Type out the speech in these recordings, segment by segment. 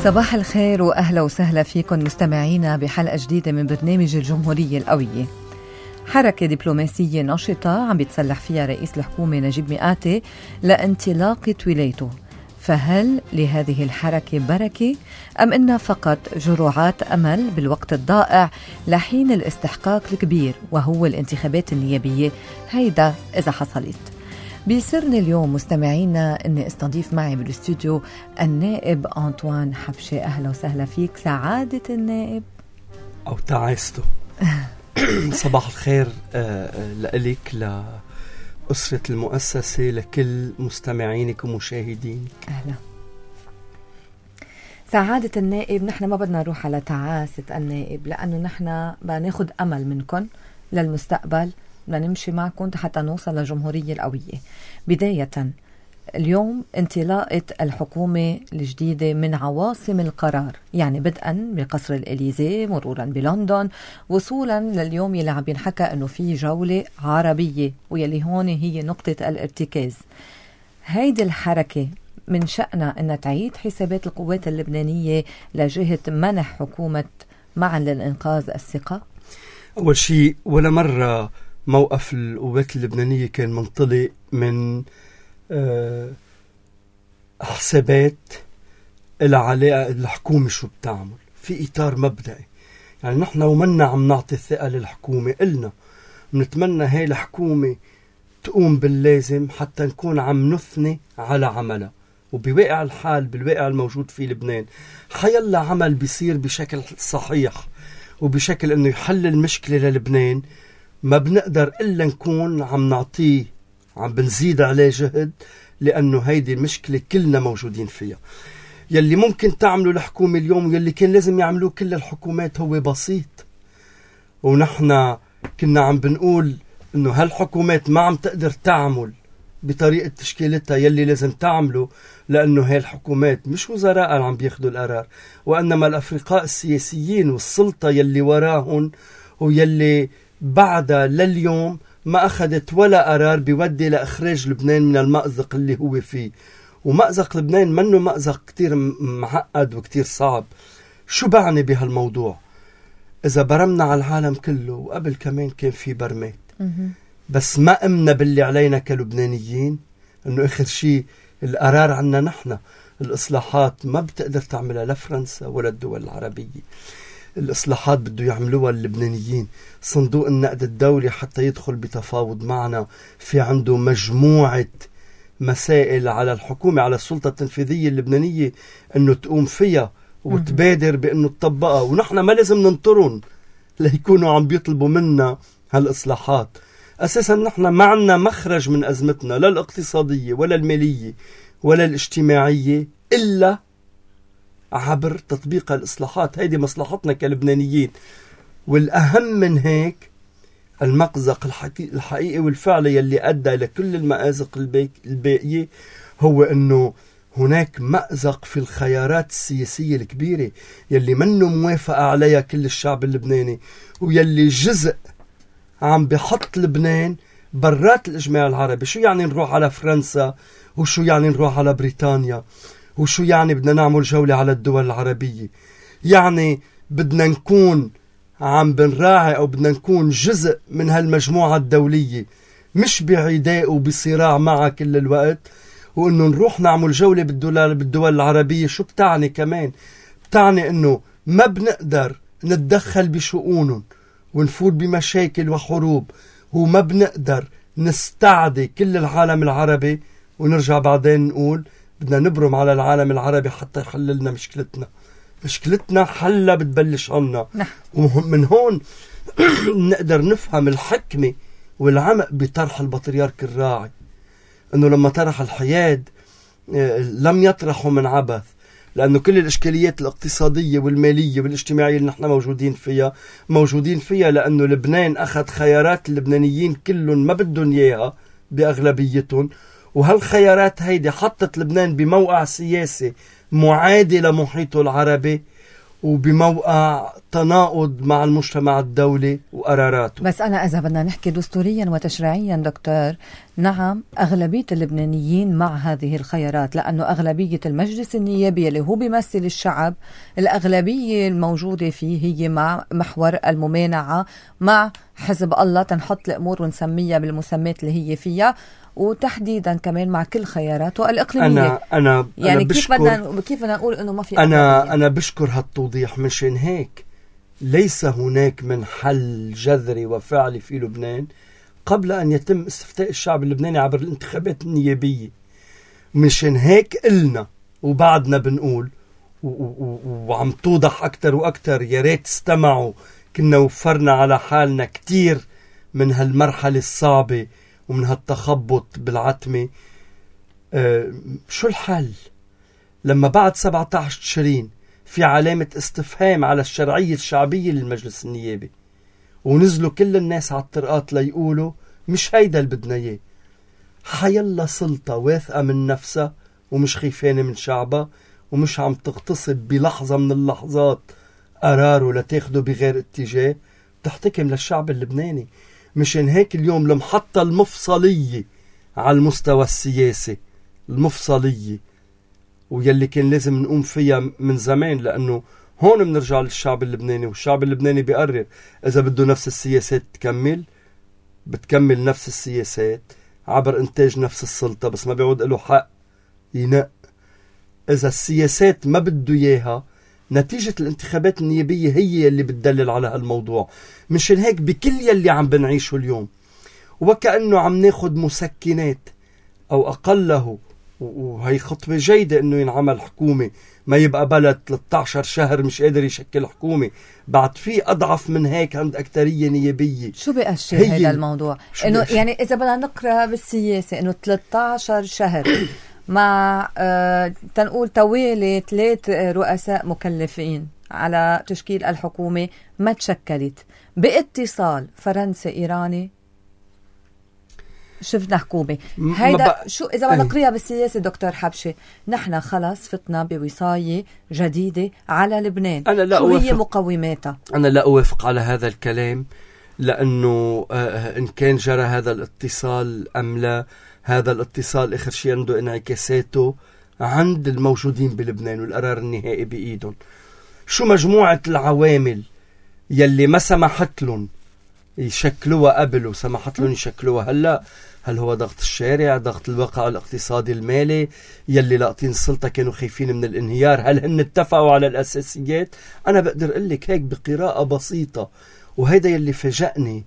صباح الخير وأهلا وسهلا فيكم مستمعينا بحلقة جديدة من برنامج الجمهورية القوية. حركة دبلوماسية نشطة عم بيتسلح فيها رئيس الحكومة نجيب مئاتي لانطلاقة ولايته، فهل لهذه الحركة بركة أم إنها فقط جرعات أمل بالوقت الضائع لحين الاستحقاق الكبير وهو الانتخابات النيابية؟ هيدا إذا حصلت. بيسرني اليوم مستمعينا أني استضيف معي بالاستوديو النائب أنطوان حبشة. أهلا وسهلا فيك سعادة النائب أو تعايسته. صباح الخير لك، لأسرة المؤسسة، لكل مستمعينك ومشاهدينك. أهلا سعادة النائب. نحن ما بدنا نروح على تعاسة النائب، لأنه نحن بناخد أمل منكم للمستقبل، بدنا نمشي معكم حتى نوصل للجمهورية القوية. بداية اليوم انطلاقة الحكومة الجديدة من عواصم القرار، يعني بدءا بقصر الإليزي مرورا بلندن وصولا لليوم يلي عم ينحكى انه في جولة عربية ويلي هون هي نقطة الارتكاز. هيدي الحركة من شأنها أن تعيد حسابات القوات اللبنانية لجهة منح حكومة معا للإنقاذ الثقة. أول شيء ولا مرة موقف القوات اللبنانية كان منطلق من حسابات العلاقة الحكومة شو بتعمل في إطار مبدئي. يعني نحن ومنا عم نعطي الثقة للحكومة، قلنا بنتمنى هاي الحكومة تقوم باللازم حتى نكون عم نثني على عملها. وبواقع الحال بالواقع الموجود في لبنان حيلا عمل بيصير بشكل صحيح وبشكل انه يحل المشكلة للبنان ما بنقدر إلا نكون عم نعطيه، عم بنزيد عليه جهد، لأنه هيدي المشكلة كلنا موجودين فيها. يلي ممكن تعملوا الحكومة اليوم يلي كان لازم يعملوه كل الحكومات هو بسيط. ونحن كنا عم بنقول إنه هالحكومات ما عم تقدر تعمل بطريقة تشكيلتها يلي لازم تعمله، لأنه هاي الحكومات مش وزراء عم بياخدوا القرار، وإنما الأفرقاء السياسيين والسلطة يلي وراهن ويلي بعدها لليوم ما أخذت ولا قرار بيودي لإخراج لبنان من المأزق اللي هو فيه. ومأزق لبنان منه مأزق كتير معقد وكتير صعب. شو بعني بهالموضوع؟ إذا برمنا على العالم كله، وقبل كمان كان في برمات، بس ما أمنا باللي علينا كلبنانيين إنه آخر شيء القرار عنا نحن. الإصلاحات ما بتقدر تعملها لا فرنسا ولا الدول العربية. الإصلاحات بده يعملوها اللبنانيين. صندوق النقد الدولي حتى يدخل بتفاوض معنا في عنده مجموعة مسائل على الحكومة، على السلطة التنفيذية اللبنانية أنه تقوم فيها وتبادر بأنه تطبقها، ونحن ما لازم ننطرن ليكونوا عم بيطلبوا منا هالإصلاحات. أساسا نحن ما عنا مخرج من أزمتنا لا الاقتصادية ولا المالية ولا الاجتماعية إلا عبر تطبيق الإصلاحات. هيدي مصلحتنا كلبنانيين. والأهم من هيك المأزق الحقيقي والفعلي يلي أدى لكل المآزق الباقية هو أنه هناك مأزق في الخيارات السياسية الكبيرة يلي منه موافقة عليها كل الشعب اللبناني، ويلي جزء عم بحط لبنان برات الإجماع العربي. شو يعني نروح على فرنسا؟ وشو يعني نروح على بريطانيا؟ وشو يعني بدنا نعمل جولة على الدول العربية؟ يعني بدنا نكون عم بنراعي أو بدنا نكون جزء من هالمجموعة الدولية، مش بعداء وبصراع معها كل الوقت. وإنه نروح نعمل جولة بالدول العربية شو بتعني كمان؟ بتعني إنه ما بنقدر نتدخل بشؤونهم ونفوت بمشاكل وحروب، وما بنقدر نستعدي كل العالم العربي ونرجع بعدين نقول بدنا نبرم على العالم العربي حتى يحل لنا مشكلتنا. مشكلتنا حلة بتبلش عنا. ومن هون نقدر نفهم الحكمة والعمق بطرح البطريرك الراعي، أنه لما طرح الحياد لم يطرحه من عبث، لأنه كل الإشكاليات الاقتصادية والمالية والاجتماعية اللي نحن موجودين فيها لأنه لبنان أخذ خيارات اللبنانيين كلهم ما بدهم إياها بأغلبيتهم، وهالخيارات هيدي حطت لبنان بموقع سياسي معادي لمحيطه العربي، وبموقع تناقض مع المجتمع الدولي وقراراته. بس أنا إذا بدنا نحكي دستوريا وتشريعيا دكتور، نعم أغلبية اللبنانيين مع هذه الخيارات، لأنه أغلبية المجلس النيابي اللي هو بيمثل الشعب، الأغلبية الموجودة فيه هي مع محور الممانعة، مع حزب الله تنحط الأمور ونسميها بالمسميات اللي هي فيها، وتحديدا كمان مع كل خياراته الإقليمية. أنا يعني كيف بدنا نقول إنه ما في أنا بشكر هالتوضيح. مشان هيك ليس هناك من حل جذري وفعلي في لبنان قبل أن يتم استفتاء الشعب اللبناني عبر الانتخابات النيابية. مشان هيك قلنا وبعدنا بنقول وعم توضح أكتر وأكتر، يا ريت استمعوا، كنا وفرنا على حالنا كتير من هالمرحلة الصعبة ومن هالتخبط بالعتمة. شو الحل لما بعد 17 تشرين في علامة استفهام على الشرعية الشعبية للمجلس النيابي، ونزلوا كل الناس على الطرقات ليقولوا مش هيدا اللي بدنا اياه؟ حيلا سلطة واثقة من نفسها ومش خيفانة من شعبها ومش عم تغتصب بلحظة من اللحظات قراره لتاخده بغير اتجاه، تحتكم للشعب اللبناني. مشان هيك اليوم المحطة المفصلية على المستوى السياسي، المفصلية ويلي كان لازم نقوم فيها من زمان، لأنه هون بنرجع للشعب اللبناني، والشعب اللبناني بيقرر إذا بده نفس السياسات تكمل، بتكمل نفس السياسات عبر إنتاج نفس السلطة، بس ما بيعود له حق ينق. إذا السياسات ما بده إياها، نتيجة الانتخابات النيابية هي اللي بتدلل على هالموضوع. مشان هيك بكل يلي عم بنعيشه اليوم وكأنه عم ناخد مسكنات أو أقله، وهي خطوة جيدة إنه ينعمل حكومة، ما يبقى بلد 13 شهر مش قادر يشكل حكومة. بعد في أضعف من هيك عند أكترية نيابية. شو بيأشر هذا الموضوع؟ إنه يعني إذا بدنا نقرأ بالسياسة إنه 13 شهر مع تنقول توالي 3 رؤساء مكلفين على تشكيل الحكومة ما تشكلت باتصال فرنسي إيراني، شفنا حكومة. هيدا شو إذا بدنا نقريها بالسياسة دكتور حبشي؟ نحن خلص فتنا بوصاية جديدة على لبنان. شو هي مقوماتها؟ أنا لا أوافق على هذا الكلام، لأنه إن كان جرى هذا الاتصال أم لا، هذا الاتصال آخر شيء عنده انعكاساته عند الموجودين بلبنان والقرار النهائي بإيدهم. شو مجموعة العوامل يلي ما سمحت لهم يشكلوها قبل وسمحت لهم يشكلوها هلأ؟ هل هو ضغط الشارع، ضغط الواقع الاقتصادي المالي، يلي لاقطين السلطة كانوا خايفين من الانهيار؟ هل هن اتفقوا على الأساسيات؟ أنا بقدر أقول لك هيك بقراءة بسيطة، وهيدا يلي فاجأني.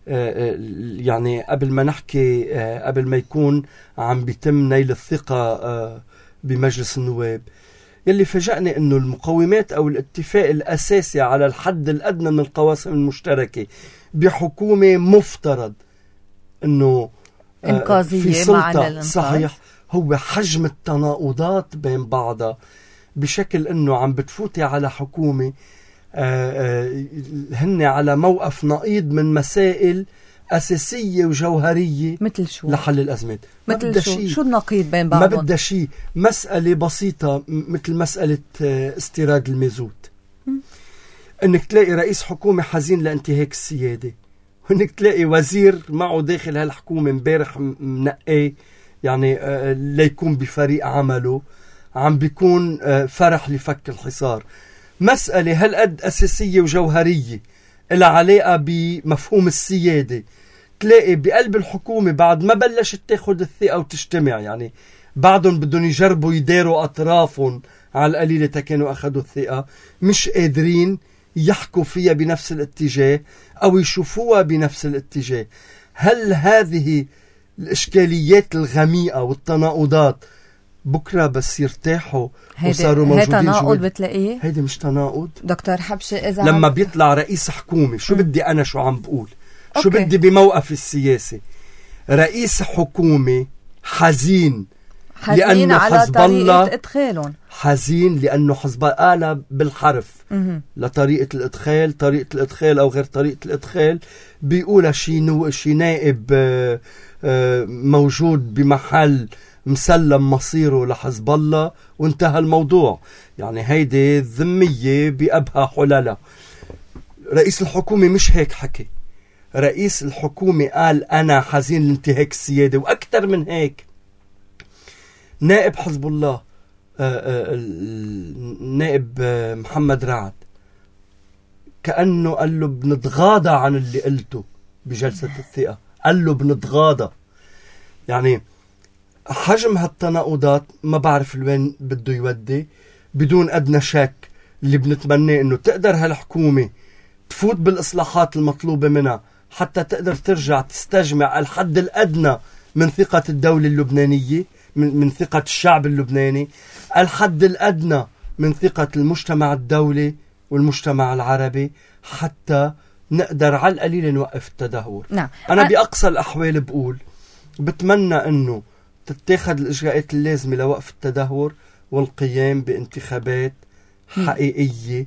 يعني قبل ما نحكي، قبل ما يكون عم بيتم نيل الثقة بمجلس النواب، يلي فاجأني انه المقومات او الاتفاق الاساسي على الحد الادنى من القواسم المشتركة بحكومة مفترض انه في سلطة صحيح، هو حجم التناقضات بين بعضها، بشكل انه عم بتفوتي على حكومة هن على موقف نقيض من مسائل أساسية وجوهرية مثل شو؟ لحل الأزمات. مثل شو النقيض بين بعضهم؟ ما بدها شيء. مسألة بسيطة مثل مسألة استيراد المازوت، انك تلاقي رئيس حكومة حزين لانتهاك السيادة، وانك تلاقي وزير معه داخل هالحكومة مبارح منقي يعني ليكون بفريق عمله عم بيكون فرح لفك الحصار. مسألة هالقد أساسية وجوهرية إلها علاقة بمفهوم السيادة، تلاقي بقلب الحكومة بعد ما بلشت تاخد الثقة وتجتمع، يعني بعضهم بدهم يجربوا يداروا أطرافهم على القليلة كانوا أخذوا الثقة، مش قادرين يحكوا فيها بنفس الاتجاه أو يشوفوها بنفس الاتجاه. هل هذه الإشكاليات الغميقة والتناقضات بكرة بس يرتاحوا وصاروا موجودين؟ هيدا تناقض بتلاقيه؟ هيدا مش تناقض دكتور حبشي. إذا لما بيطلع رئيس حكومة، شو بدي أنا شو عم بقول؟ شو بدي بموقف السياسي؟ رئيس حكومة حزين لأنه على طريقة إدخالهم، حزين لأنه حزب الله قال بالحرف لطريقة الإدخال، طريقة الإدخال أو غير طريقة الإدخال، بيقولها شي نائب موجود بمحل مسلم مصيره لحزب الله وانتهى الموضوع. يعني هيدي الذمية بأبها حلالة. رئيس الحكومة مش هيك حكي. رئيس الحكومة قال أنا حزين لانتهاك السيادة، وأكثر من هيك. نائب حزب الله النائب محمد رعد كأنه قال له بنتغاضى عن اللي قلته بجلسة الثقة، قال له بنتغاضى. يعني حجم هالتناقضات ما بعرف لوين بده يودي. بدون أدنى شك اللي بنتمناه إنه تقدر هالحكومة تفوت بالإصلاحات المطلوبة منها حتى تقدر ترجع تستجمع الحد الأدنى من ثقة الدولة اللبنانية، من ثقة الشعب اللبناني، الحد الأدنى من ثقة المجتمع الدولي والمجتمع العربي، حتى نقدر على القليل نوقف التدهور. نعم. أنا بأقصى الأحوال بتمنى أنه تتخذ الإجراءات اللازمة لوقف التدهور والقيام بانتخابات حقيقية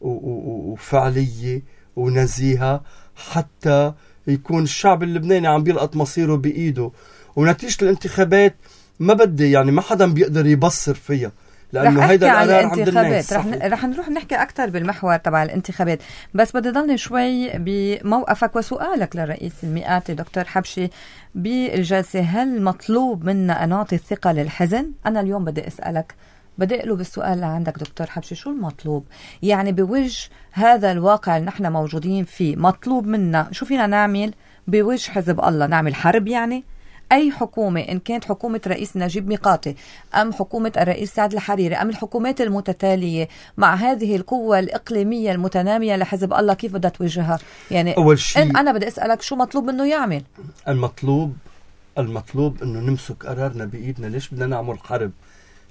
وفعلية ونزيهة، حتى يكون الشعب اللبناني عم بيلقط مصيره بإيده. ونتيجة الانتخابات ما بدي يعني ما حدا بيقدر يبصر فيها، لأنه هيدا القرار عند الناس. رح نروح نحكي أكتر بالمحور تبع الانتخابات، بس بدي ضلني شوي بموقفك وسؤالك للرئيس المئاتي دكتور حبشي بالجلسة. هل مطلوب منا أن نعطي الثقة للحزن؟ أنا اليوم بدي أسألك، بدي أقلب السؤال لعندك دكتور حبشي، شو المطلوب؟ يعني بوجه هذا الواقع اللي نحن موجودين فيه، مطلوب منا شو فينا نعمل بوجه حزب الله؟ نعمل حرب يعني؟ أي حكومة، إن كانت حكومة رئيس نجيب ميقاتي أم حكومة الرئيس سعد الحريري أم الحكومات المتتالية مع هذه القوة الإقليمية المتنامية لحزب الله، كيف بدها توجهها؟ يعني أول شيء أنا بدي أسألك شو مطلوب منه يعمل؟ المطلوب إنه نمسك قرارنا بإيدنا. ليش بدنا نعمل حرب؟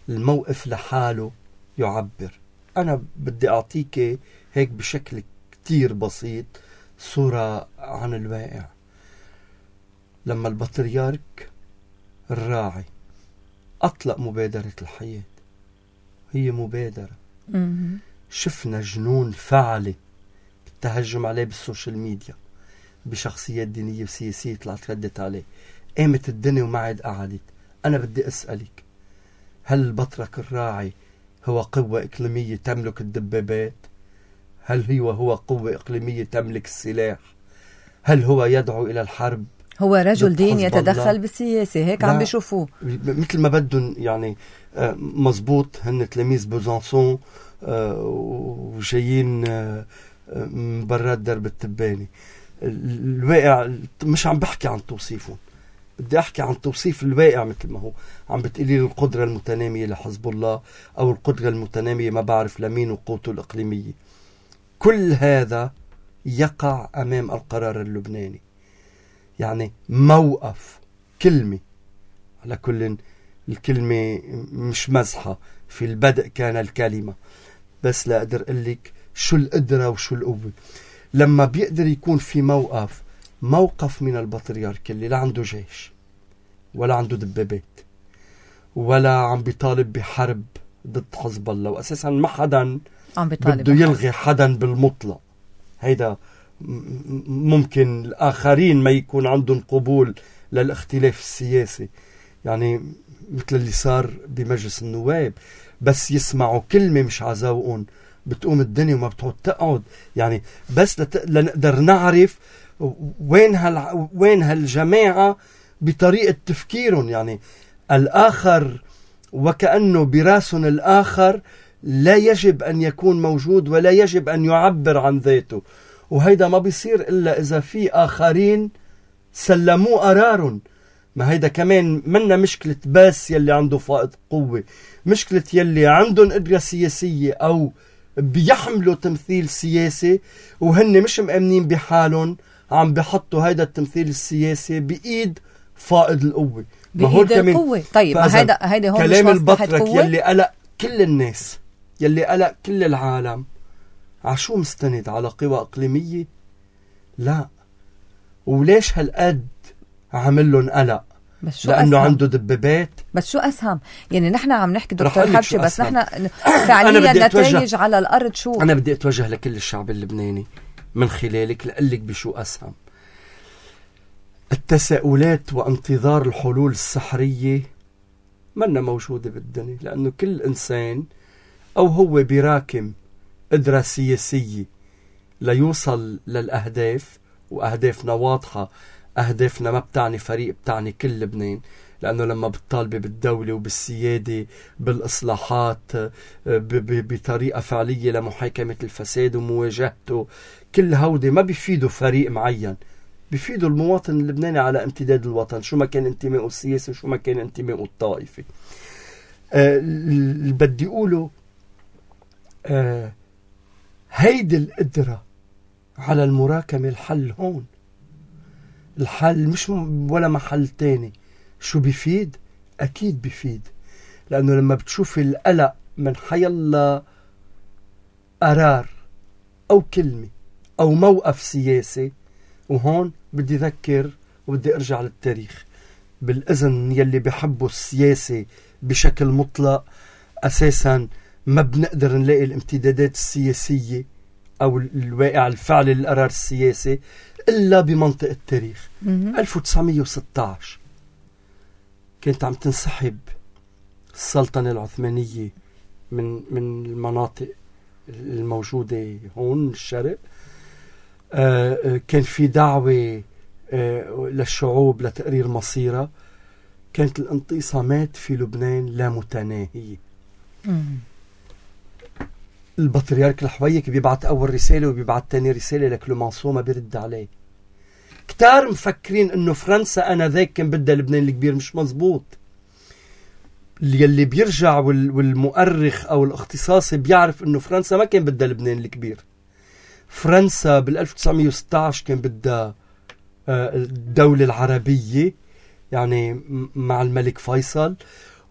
الموقف لحاله يعبر. أنا بدي أعطيك هيك بشكل كتير بسيط صورة عن الواقع. لما البطريرك الراعي أطلق مبادرة الحياة، هي مبادرة شفنا جنون فعلي التهجم عليه بالسوشيال ميديا بشخصيات دينية وسياسية طلعت ردت عليه، قامت الدنيا وما عاد قعدت. أنا بدي أسألك، هل البطرك الراعي هو قوة إقليمية تملك الدبابات؟ هل هو قوة إقليمية تملك السلاح؟ هل هو يدعو إلى الحرب؟ هو رجل دين يتدخل بالسياسة، هيك عم بيشوفوه مثل ما بدهم. يعني مزبوط، هن تلاميذ بوزانسون وجايين من برات درب التباني. الواقع مش عم بحكي عن توصيفهم، بدي أحكي عن توصيف الواقع مثل ما هو. عم بتقلي لي القدرة المتنامية لحزب الله أو القدرة المتنامية ما بعرف لمين وقوته الإقليمية. كل هذا يقع أمام القرار اللبناني. يعني موقف كلمة، على كل الكلمة مش مزحة، في البدء كان الكلمة، بس لا أقدر أقولك شو القدرة وشو القوة. لما بيقدر يكون في موقف من البطريرك اللي لا عنده جيش ولا عنده دبابات ولا عم بيطالب بحرب ضد حزب الله، وأساسا ما حدا بده يلغي حدا بالمطلق. هيدا ممكن الآخرين ما يكون عندهم قبول للاختلاف السياسي، يعني مثل اللي صار بمجلس النواب، بس يسمعوا كلمة مش عزاوقهم بتقوم الدنيا وما بتعود تقعد. يعني بس لنقدر نعرف وين هالجماعة بطريقة تفكيرهم. يعني الآخر وكأنه براسهم الآخر لا يجب أن يكون موجود ولا يجب أن يعبر عن ذاته، وهيدا ما بيصير إلا إذا في آخرين سلموا قرارهم. ما هيدا كمان منا مشكلة بس يلي عنده فائض قوة، مشكلة يلي عندهم قدرة سياسية أو بيحملوا تمثيل سياسي وهن مش مأمنين بحالهم، عم بيحطوا هيدا التمثيل السياسي بإيد فائض القوة. بإيد القوة. طيب ما هيدا هون كلام البطرك يلي قلق كل الناس، يلي قلق كل العالم، عشو مستند؟ على قوى إقليمية؟ لا. وليش هالقد عملهم قلق؟ لأنه عنده دبابات. بس شو أسهم؟ يعني نحن عم نحكي دكتور حبشي، بس نحن فعليا نتائج على الأرض شو؟ أنا بدي أتوجه لكل الشعب اللبناني من خلالك لأقلك بشو أسهم. التساؤلات وانتظار الحلول السحرية منا موجودة بالدنيا، لأنه كل إنسان أو هو براكم قدرة سياسية ليوصل للأهداف، وأهدافنا واضحة. أهدافنا ما بتعني فريق، بتعني كل لبنان، لأنه لما بتطالبي بالدولة وبالسيادة بالإصلاحات بطريقة فعلية لمحاكمة الفساد ومواجهته، كل هودي ما بيفيدوا فريق معين، بيفيدوا المواطن اللبناني على امتداد الوطن، شو ما كان انتمائه السياسي وشو ما كان انتمائه الطائفي. اللي بدي أقوله هيدي القدرة على المراكمة، الحل هون. الحل مش ولا محل تاني. شو بيفيد؟ أكيد بيفيد، لأنه لما بتشوف القلق من حيالله قرار أو كلمة أو موقف سياسي، وهون بدي أذكر وبدي أرجع للتاريخ. بالإذن يلي بيحبوا السياسة بشكل مطلق أساسا ما بنقدر نلاقي الامتدادات السياسية أو الواقع الفعلي للقرار السياسي إلا بمنطق التاريخ. 1916 كانت عم تنسحب السلطنة العثمانية من المناطق الموجودة هون الشرق. كان في دعوة للشعوب لتقرير مصيرها. كانت الانقسامات في لبنان لا متناهية. البطريرك الحويك بيبعت أول رسالة وبيبعت تاني رسالة لكلومانسو، ما بيرد عليه. كتار مفكرين انه فرنسا انا ذاك كان بدها لبنان الكبير. مش مزبوط. اللي بيرجع والمؤرخ او الاختصاصي بيعرف انه فرنسا ما كان بدها لبنان الكبير. فرنسا بال 1916 كان بدها الدولة العربية، يعني مع الملك فيصل،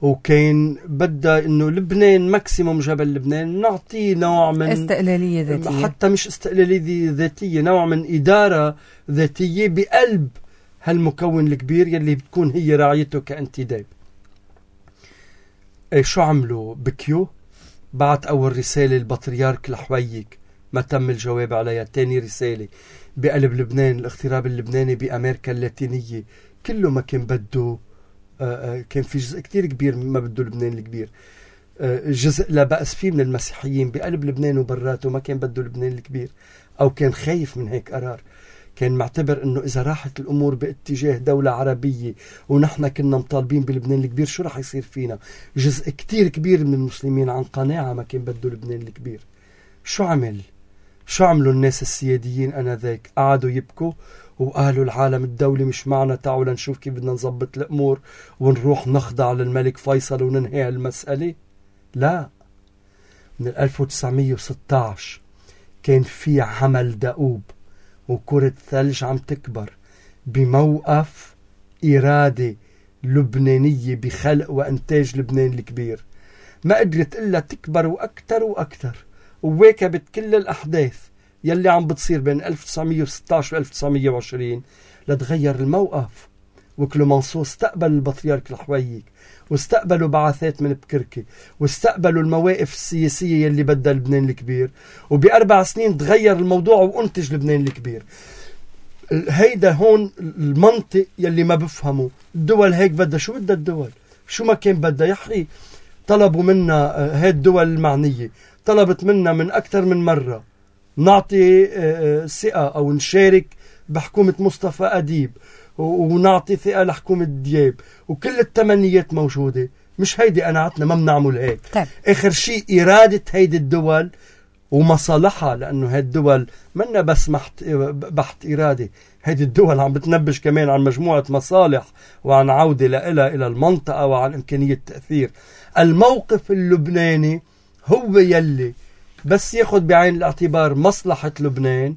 وكان بدها انه لبنان ماكسيموم جبل لبنان نعطيه نوع من استقلالية ذاتية، حتى مش استقلالية ذاتية، نوع من إدارة ذاتية بقلب هالمكون الكبير يلي بتكون هي راعيته كانتداب. شو عملوا؟ بكيو بعت أول رسالة البطريرك الحويك، ما تم الجواب عليها. تاني رسالة بقلب لبنان، الاغتراب اللبناني بأمريكا اللاتينية كله ما كان بده. كان في جزء كتير كبير ما بده لبنان الكبير. جزء لا بأس فيه من المسيحيين بقلب لبنان وبراته ما كان بده لبنان الكبير، أو كان خايف من هيك قرار. كان معتبر أنه إذا راحت الأمور باتجاه دولة عربية ونحن كنا مطالبين بلبنان الكبير شو رح يصير فينا. جزء كتير كبير من المسلمين عن قناعة ما كان بده لبنان الكبير. شو عملوا الناس السياديين أنذاك؟ قعدوا يبكوا وقالوا العالم الدولي مش معنا، تعالوا لنشوف كيف بدنا نظبط الأمور ونروح نخضع للملك فيصل وننهي المسألة. لا، من 1916 كان في عمل دؤوب وكرة ثلج عم تكبر بموقف إرادة لبنانية بخلق وإنتاج لبنان الكبير. ما قدرت إلا تكبر وأكتر وأكتر، وواكبت كل الأحداث يلي عم بتصير بين 1916 و 1920 لتغير الموقف. وكلومانسو استقبل البطريرك الحويك، واستقبلوا بعثات من بكركي، واستقبلوا المواقف السياسية يلي بدها لبنان الكبير، وب4 سنين تغير الموضوع وانتج لبنان الكبير. هيدا هون المنطق يلي ما بفهمه. الدول هيك بدها، شو بدها الدول؟ شو ما كان بدها يحقي. طلبوا منا هاي الدول المعنية، طلبت منا من أكثر من مرة نعطي ثقة أو نشارك بحكومة مصطفى أديب، ونعطي ثقة لحكومة دياب، وكل التمنيات موجودة. مش هيدي قناعتنا، ما بنعمل هيك. طيب. آخر شيء إرادة هيدي الدول ومصالحها، لأنه هيدي الدول منا بس بحت إرادة. هيدي الدول عم بتنبش كمان عن مجموعة مصالح وعن عودة إلى المنطقة وعن إمكانية تأثير. الموقف اللبناني هو يلي بس ياخد بعين الاعتبار مصلحة لبنان.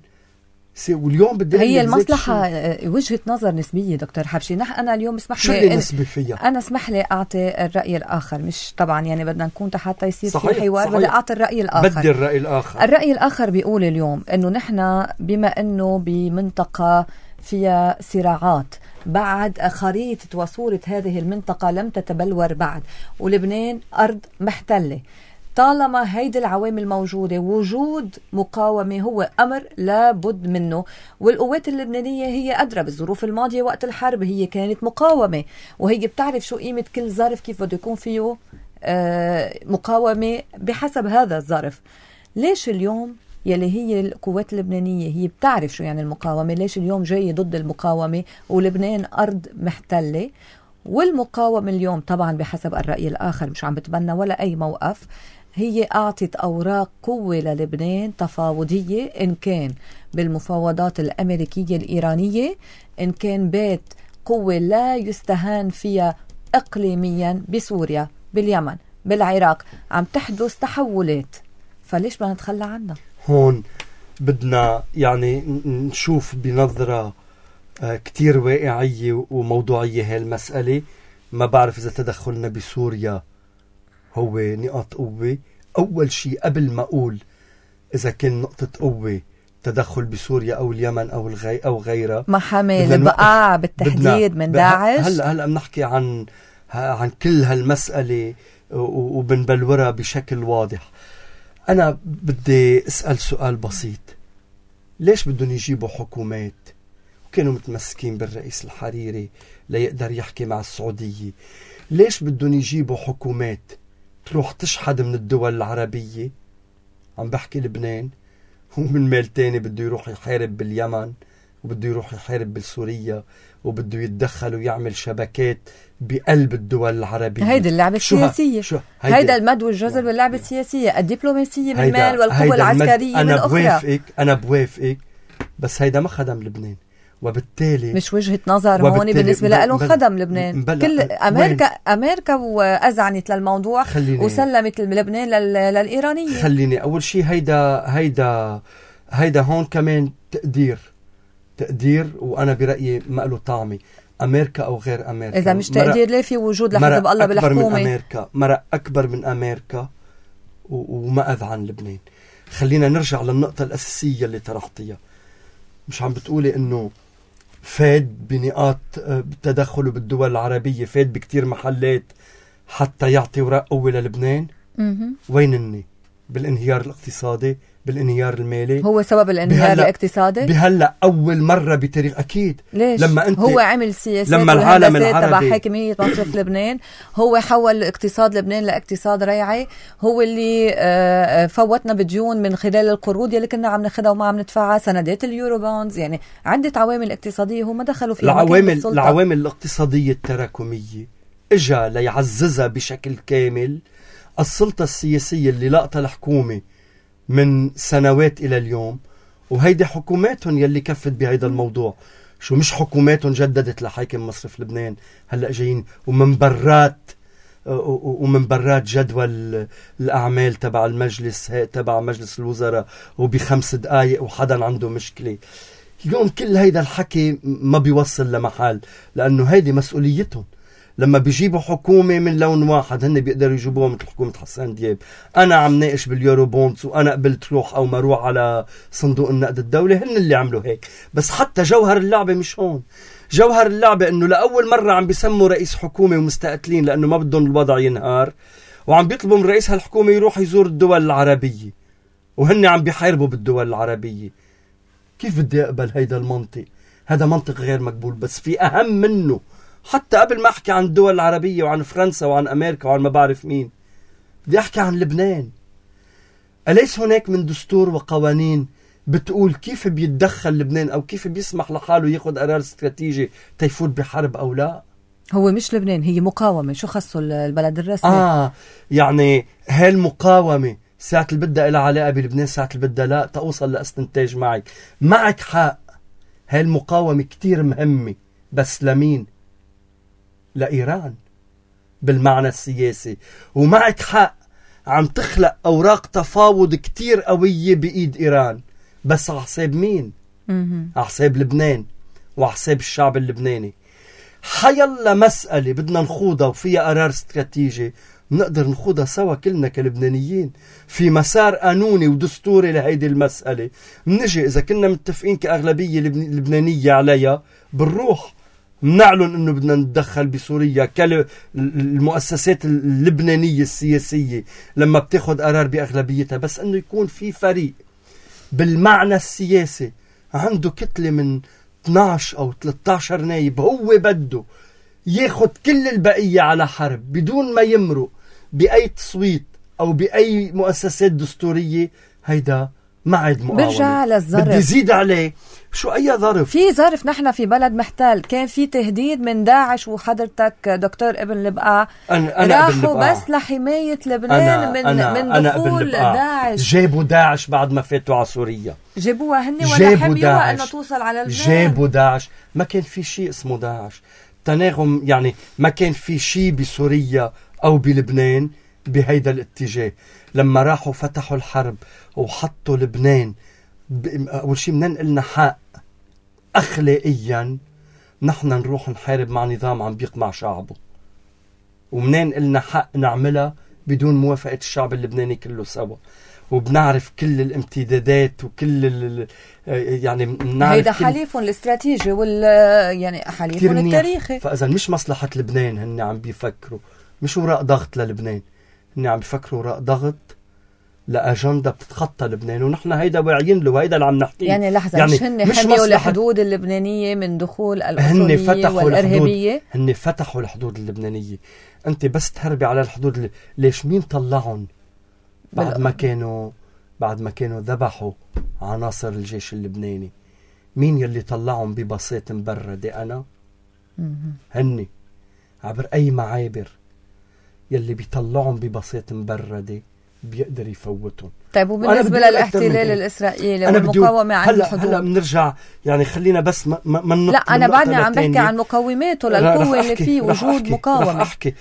واليوم بدي هي المصلحة وجهة نظر نسبية دكتور حبشي. أنا اليوم اسمح لي نسبي فيها. أنا اسمح لي أعطي الرأي الآخر، مش طبعا يعني بدنا نكون حتى يصير في حوار، بدي أعطي الرأي الآخر. بدي الرأي الآخر. الرأي الآخر بيقول اليوم إنه نحن بما إنه بمنطقة فيها صراعات، بعد خريطة وصورة هذه المنطقة لم تتبلور بعد، ولبنان أرض محتلة، طالما هيدي العوامل موجودة، وجود مقاومة هو أمر لابد منه. والقوات اللبنانية هي أدرى بالظروف الماضية، وقت الحرب هي كانت مقاومة، وهي بتعرف شو قيمة كل ظرف، كيف بده يكون فيه مقاومة بحسب هذا الظرف. ليش اليوم يلي هي القوات اللبنانية هي بتعرف شو يعني المقاومة، ليش اليوم جاي ضد المقاومة ولبنان أرض محتلة؟ والمقاومة اليوم طبعا بحسب الرأي الآخر مش عم بتبنى ولا أي موقف، هي أعطت أوراق قوة للبنان تفاوضية، إن كان بالمفاوضات الأمريكية الإيرانية، إن كان بيت قوة لا يستهان فيها إقليميا بسوريا، باليمن، بالعراق، عم تحدث تحولات، فليش بدنا نتخلى عنها؟ هون بدنا يعني نشوف بنظرة كتير واقعية وموضوعية هالمسألة. ما بعرف إذا تدخلنا بسوريا هو نقاط قوة. أول شيء قبل ما أقول إذا كان نقطة قوة تدخل بسوريا أو اليمن أو غيرها، ما حمل بقى بالتحديد من داعش. هلأ بنحكي عن كل هالمسألة وبنبلورها بشكل واضح. أنا بدي أسأل سؤال بسيط. ليش بدهم يجيبوا حكومات وكانوا متمسكين بالرئيس الحريري ليقدر يحكي مع السعودية؟ ليش بدهم يجيبوا حكومات تروح تشحد من الدول العربية؟ عم بحكي لبنان، ومن ميل تاني بده يروح يحارب باليمن، وبده يروح يحارب بالسوريا، وبده يتدخل ويعمل شبكات بقلب الدول العربية. هيدا اللعبة السياسية، هيدا المد والجزر باللعبة السياسية، الدبلوماسية بالمال والقوة العسكرية بالأخرى. أنا بوافقك، بس هيدا ما خدم لبنان، وبالتالي مش وجهة نظر هون بالنسبة لهم خدم لبنان. كل أمريكا وأذعنت للموضوع وسلمت لبنان للإيرانية. خليني أول شيء هيدا هون كمان تقدير، وأنا برأيي ما له طعمي. أمريكا أو غير أمريكا، إذا مش تقدير ليه في وجود لحزب الله بالحكومة؟ مرة أكبر من أمريكا وما أذعن لبنان. خلينا نرجع للنقطة الأساسية اللي طرحتيها. مش عم بتقولي إنه فاد بنقاط تدخله بالدول العربية، فاد بكتير محلات حتى يعطي وراء قوة للبنان؟ وين بالانهيار الاقتصادي، بالانهيار المالي. هو سبب الانهيار الاقتصادي بهلا أول مرة بتاريخ. أكيد. ليش؟ لما أنت هو عمل سياسات لما العالم العربي تبع حاكمية مصرف لبنان، هو حول اقتصاد لبنان لاقتصاد ريعي، هو اللي فوتنا بديون من خلال القروض اللي كنا عم ناخدها وما عم ندفعها، سندات اليورو بونز، يعني عدة عوامل اقتصادية هم دخلوا فيها. العوامل الاقتصادية التراكمية اجا ليعززها بشكل كامل السلطة السياسية اللي لقطها الحكومة من سنوات إلى اليوم، وهيدي حكوماتهم يلي كفت بهيدا الموضوع. شو مش حكوماتهم جددت لحاكم مصرف لبنان هلأ جايين ومن برات جدول الأعمال تبع المجلس تبع مجلس الوزراء وب5 دقايق وحدا عنده مشكلة. اليوم كل هيدا الحكي ما بيوصل لمحل، لأنه هيدي مسؤوليتهم. لما بيجيبوا حكومة من لون واحد هن بيقدروا يجيبوها مثل حكومة حسان دياب. أنا عم ناقش باليورو بونز وأنا قبلت روح أو ما روح على صندوق النقد الدولي، هن اللي عملوا هيك. بس حتى جوهر اللعبة مش هون. جوهر اللعبة إنه لأول مرة عم بيسموا رئيس حكومة ومستقتلين لأنه ما بدهم الوضع ينهار، وعم بيطلبوا من رئيس هالحكومة يروح يزور الدول العربية، وهن عم بيحاربوا بالدول العربية. كيف بدي أقبل هيدا المنطق؟ هذا منطق غير مقبول. بس في أهم منه، حتى قبل ما أحكي عن الدول العربية وعن فرنسا وعن أمريكا وعن ما بعرف مين، بدي أحكي عن لبنان. أليس هناك من دستور وقوانين بتقول كيف بيتدخل لبنان أو كيف بيسمح لحاله ياخد قرار استراتيجي تيفوت بحرب أو لا؟ هو مش لبنان، هي مقاومة. شو خصوا البلد الرسمي؟ يعني هالمقاومة ساعة اللي بدها إلها علاقة بلبنان، ساعة اللي بدها لا، تأوصل لاستنتاج معك حق. هالمقاومة كتير مهمة، بس لمين؟ لإيران بالمعنى السياسي. ومعك حق، عم تخلق أوراق تفاوض كتير قوية بإيد إيران، بس على حساب مين؟ على حساب لبنان وعلى حساب الشعب اللبناني. حيلا مسألة بدنا نخوضها وفيها قرار استراتيجي نقدر نخوضها سوا كلنا كلبنانيين في مسار قانوني ودستوري لهيدي المسألة. منجي إذا كنا متفقين كأغلبية لبنانية عليها، بنروح منعلن انه بدنا نتدخل بسوريا. المؤسسات اللبنانية السياسية لما بتاخد قرار بأغلبيتها، بس انه يكون في فريق بالمعنى السياسي عنده كتلة من 12 أو 13 نايب، هو بده ياخد كل البقية على حرب بدون ما يمرق بأي تصويت أو بأي مؤسسات دستورية. هيدا ما عاد مقاومة. برجع للظرف، بدي زيد عليه. شو أي ظرف؟ في ظرف. نحن في بلد محتل، كان في تهديد من داعش، وحضرتك دكتور ابن لبقى راحوا بس لحماية لبنان من دخول داعش. جابوا داعش بعد ما فاتوا على سوريا، جابوها هن ولا حميوها انه توصل على لبنان. جابوا داعش. ما كان في شيء اسمه داعش. تناغم يعني ما كان في شيء بسوريا أو بلبنان بهيدا الاتجاه. لما راحوا فتحوا الحرب وحطوا لبنان، أول شيء بدنا نقلنا حق أخلاقيا نحن نروح نحارب مع نظام عم بيقمع شعبه، ومنين قلنا حق نعملها بدون موافقة الشعب اللبناني كله سوا. وبنعرف كل الامتدادات وكل يعني بنعرف هيدا حليفهم الاستراتيجي يعني حليفهم التاريخي. فإذا مش مصلحة لبنان هن عم بيفكروا، مش وراء ضغط للبنان، هن عم بيفكروا وراء ضغط لأجندة بتتخطى لبنان، ونحن هيدا واعيين له، وهيدا اللي عم نحكيه. يعني لحظة، يعني مش هن حميوا الحدود اللبنانية من دخول الأصولية والإرهابية؟ هن فتحوا الحدود اللبنانية. أنت بس تهربي على الحدود ليش؟ مين طلعهم بعد ما كانوا ذبحوا عناصر الجيش اللبناني؟ مين يلي طلعهم ببساط مبردة؟ أنا؟ هن عبر أي معابر يلي بيطلعهم ببساط مبردة بيقدر يفوتهم. طيب وبالنسبة للاحتلال الإسرائيلي والمقاومة عن الحدود؟ هلا بنرجع، يعني خلينا بس ما لا أنا بعدني عم بحكي عن مقاوماته للقوة اللي فيه وجود مقاومة. رح أحكي.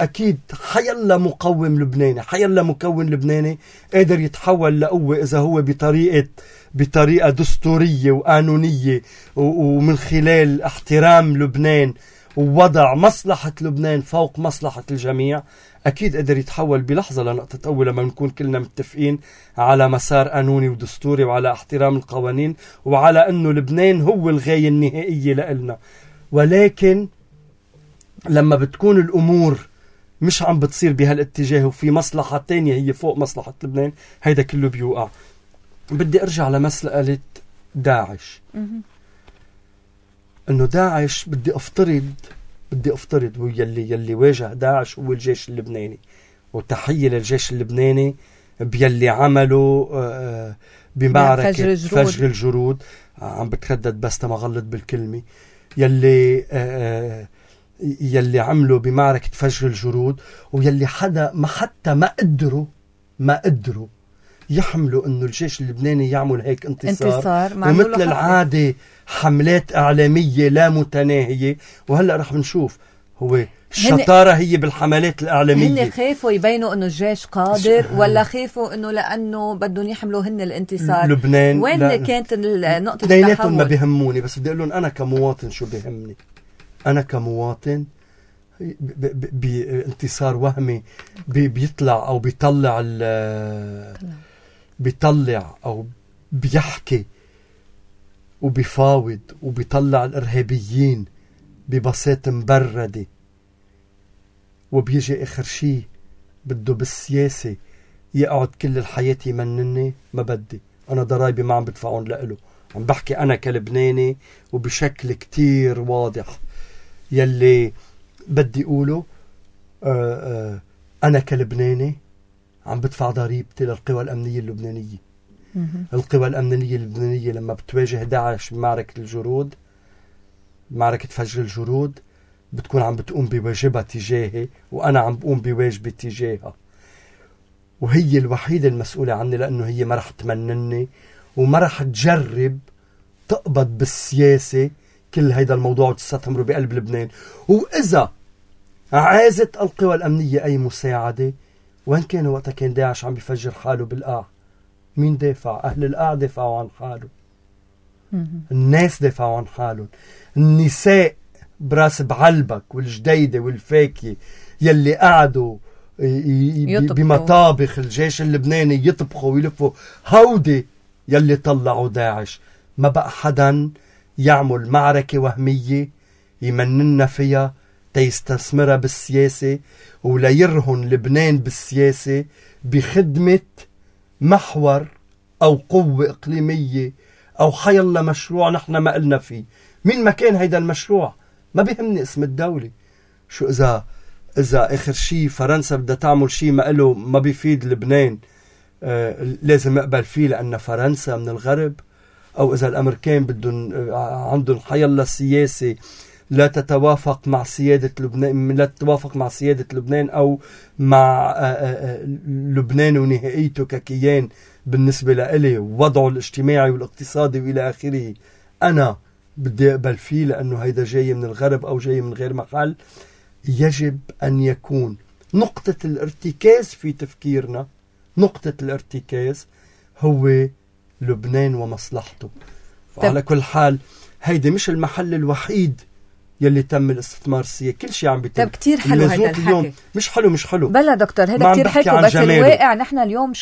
أكيد حيلا مقاوم لبناني، حيلا مكون لبناني قادر يتحول لقوة إذا هو بطريقة دستورية وقانونية ومن خلال احترام لبنان ووضع مصلحة لبنان فوق مصلحة الجميع. أكيد قدر يتحول بلحظة لنقطة أول لما نكون كلنا متفقين على مسار قانوني ودستوري وعلى احترام القوانين وعلى أنه لبنان هو الغاية النهائية لإلنا. ولكن لما بتكون الأمور مش عم بتصير بهالاتجاه وفي مصلحة تانية هي فوق مصلحة لبنان، هيدا كله بيوقع. بدي أرجع لمسألة داعش. إنه داعش بدي أفترض هو يلي واجه داعش هو الجيش اللبناني، وتحية للجيش اللبناني بيلي عمله بمعركة فجر الجرود. عم بتردد بس ما غلط بالكلمة. يلي عملوا بمعركة فجر الجرود، ويلي حتى ما قدروا يحملوا انه الجيش اللبناني يعمل هيك انتصار ومثل العادة حملات اعلامية لا متناهية. وهلأ رح نشوف هو الشطارة هي بالحملات الإعلامية. هن خافوا يبينوا انه الجيش قادر ولا خافوا انه لانه بدهم يحملوا هن الانتصار؟ لبنان وين كانت نقطة التحول؟ ما بيهموني، بس بدي اقول لهم انا كمواطن شو بيهمني. أنا كمواطن بانتصار وهمي بيطلع أو بيطلع أو بيحكي وبيفاوض وبيطلع الإرهابيين ببساطة مبردة، وبيجي آخر شيء بده بالسياسة يقعد كل الحياة يمنني. ما بدي، أنا ضرايبي ما عم بدفعون لإله. عم بحكي أنا كلبناني وبشكل كتير واضح. يلي بدي أقوله أنا كلبناني عم بدفع ضريبتي للقوى الأمنية اللبنانية. القوى الأمنية اللبنانية لما بتواجه داعش بمعركة الجرود، معركة فجر الجرود، بتكون عم بتقوم بواجبها تجاهي وأنا عم بقوم بواجبي تجاهها، وهي الوحيدة المسؤولة عني، لأنه هي ما رح تمنني وما رح تجرب تقبض بالسياسة كل هيدا الموضوع وتستثمره بقلب لبنان. وإذا عازت القوى الأمنية أي مساعدة، وين كانوا وقتها كان داعش عم بيفجر حاله بالقاع؟ مين دافع؟ أهل القاع دافعوا عن حاله، الناس دافعوا عن حالهم، النساء براس بعلبك والجديدة والفاكية يلي قعدوا بمطابخ الجيش اللبناني يطبخوا ويلفوا، هودي يلي طلعوا داعش. ما بقى حدا يعمل معركة وهمية يمننا فيها تيستثمرها بالسياسة ولا يرهن لبنان بالسياسة بخدمة محور أو قوة إقليمية أو حيالله مشروع نحن ما قلنا فيه. مين ما كان هيدا المشروع ما بيهمني اسم الدولة. شو إذا آخر شي فرنسا بدها تعمل شي ما قاله ما بيفيد لبنان لازم اقبل فيه لأن فرنسا من الغرب، أو إذا الأمريكان بدهم عندهم حيالله سياسة لا تتوافق مع سيادة لبنان أو مع لبنان ونهائيته ككيان بالنسبة لإلي ووضعه الاجتماعي والاقتصادي وإلى آخره، أنا بدي أقبل فيه لأنه هيدا جاي من الغرب أو جاي من غير محل. يجب أن يكون نقطة الارتكاز في تفكيرنا، نقطة الارتكاز هو لبنان ومصلحته. وعلى كل حال هيدا مش المحل الوحيد يلي تم الاستثمار السياسي، كل شيء عم بيتم. طب كتير حلو هيدا الحكي. مش حلو بلا دكتور، هيدا كتير حلو، بس الواقع نحن اليوم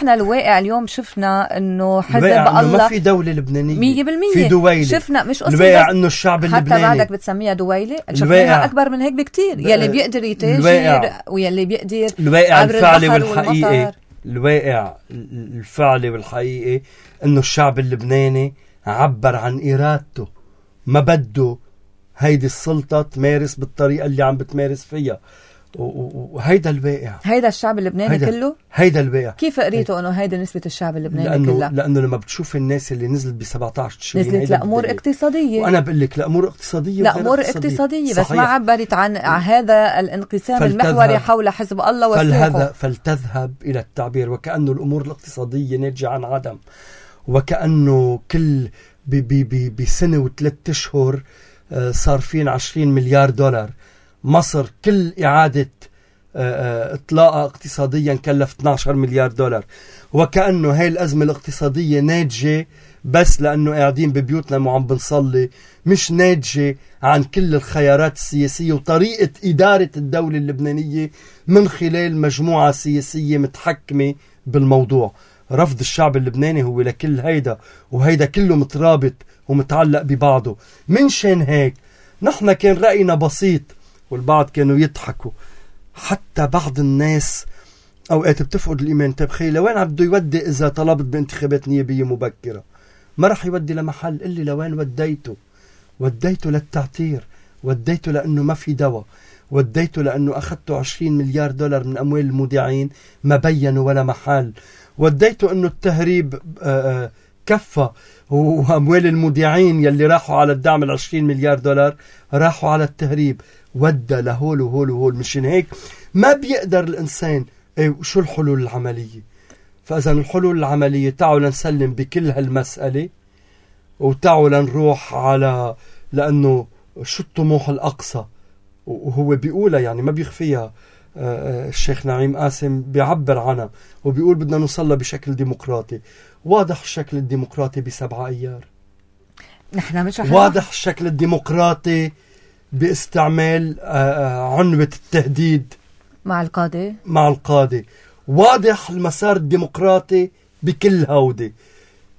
الواقع اليوم شفنا انه حزب الله ما في دولة لبنانية 100%. في دويلة شفنا مش الواقع انه الشعب اللبناني حتى بعدك بتسميها دويلة، شفناها اكبر من هيك بكتير. يلي بيقدر يتاجر ويلي بيقدر الواقع الفعلي والحقيقي. الواقع الفعلي والحقيقي انه الشعب اللبناني عبر عن ارادته، ما بده هيدي السلطة تمارس بالطريقة اللي عم بتمارس فيها، وهيدا الواقع. هيدا الشعب اللبناني كله؟ هيدا الواقع. كيف قريتوا انه هيدا نسبة الشعب اللبناني كلها؟ لأنه لما بتشوف الناس اللي نزلت ب17 تشرين نزلت لأمور اقتصادية، وأنا بقول لك لأمور اقتصادية لأمور اقتصادية، بس ما عبرت عن هذا الانقسام المحوري حول حزب الله وسلوكه. فلتذهب إلى التعبير وكأنه الأمور الاقتصادية ناتجة عن عدم، وكأنه كل بسنة و3 أشهر صارفين 20 مليار دولار. مصر كل إعادة إطلاقها اقتصاديا كلف 12 مليار دولار، وكأنه هاي الأزمة الاقتصادية ناتجة بس لأنه قاعدين ببيوتنا وعم بنصلي، مش ناتجة عن كل الخيارات السياسية وطريقة إدارة الدولة اللبنانية من خلال مجموعة سياسية متحكمة بالموضوع. رفض الشعب اللبناني هو لكل هيدا، وهيدا كله مترابط ومتعلق ببعضه. من شان هيك نحن كان رأينا بسيط والبعض كانوا يضحكوا، حتى بعض الناس أوقات بتفقد الإيمان. تبخي لوين عبده يودي إذا طلبت بانتخابات نيابية مبكرة؟ ما رح يودي لمحل اللي لوين وديته للتعتير، وديته لأنه ما في دواء، وديته لأنه أخذته 20 مليار دولار من أموال المودعين ما بينوا ولا محل، وديته أنه التهريب كفى، وأموال المودعين يلي راحوا على الدعم 20 مليار دولار راحوا على التهريب. ودى لهول وهول وهول. مشان هيك ما بيقدر الإنسان شو الحلول العملية. فإذا الحلول العملية تعالوا نسلم بكل هالمسألة، وتعالوا نروح على لأنه شو الطموح الأقصى، وهو بيقولها يعني ما بيخفيها. الشيخ نعيم قاسم بيعبر عنها وبيقول بدنا نوصلها بشكل ديمقراطي. واضح الشكل الديمقراطي ب7 أيار. نحن مش واضح الشكل الديمقراطي باستعمال عنوة التهديد مع القادة. واضح المسار الديمقراطي بكل هودي،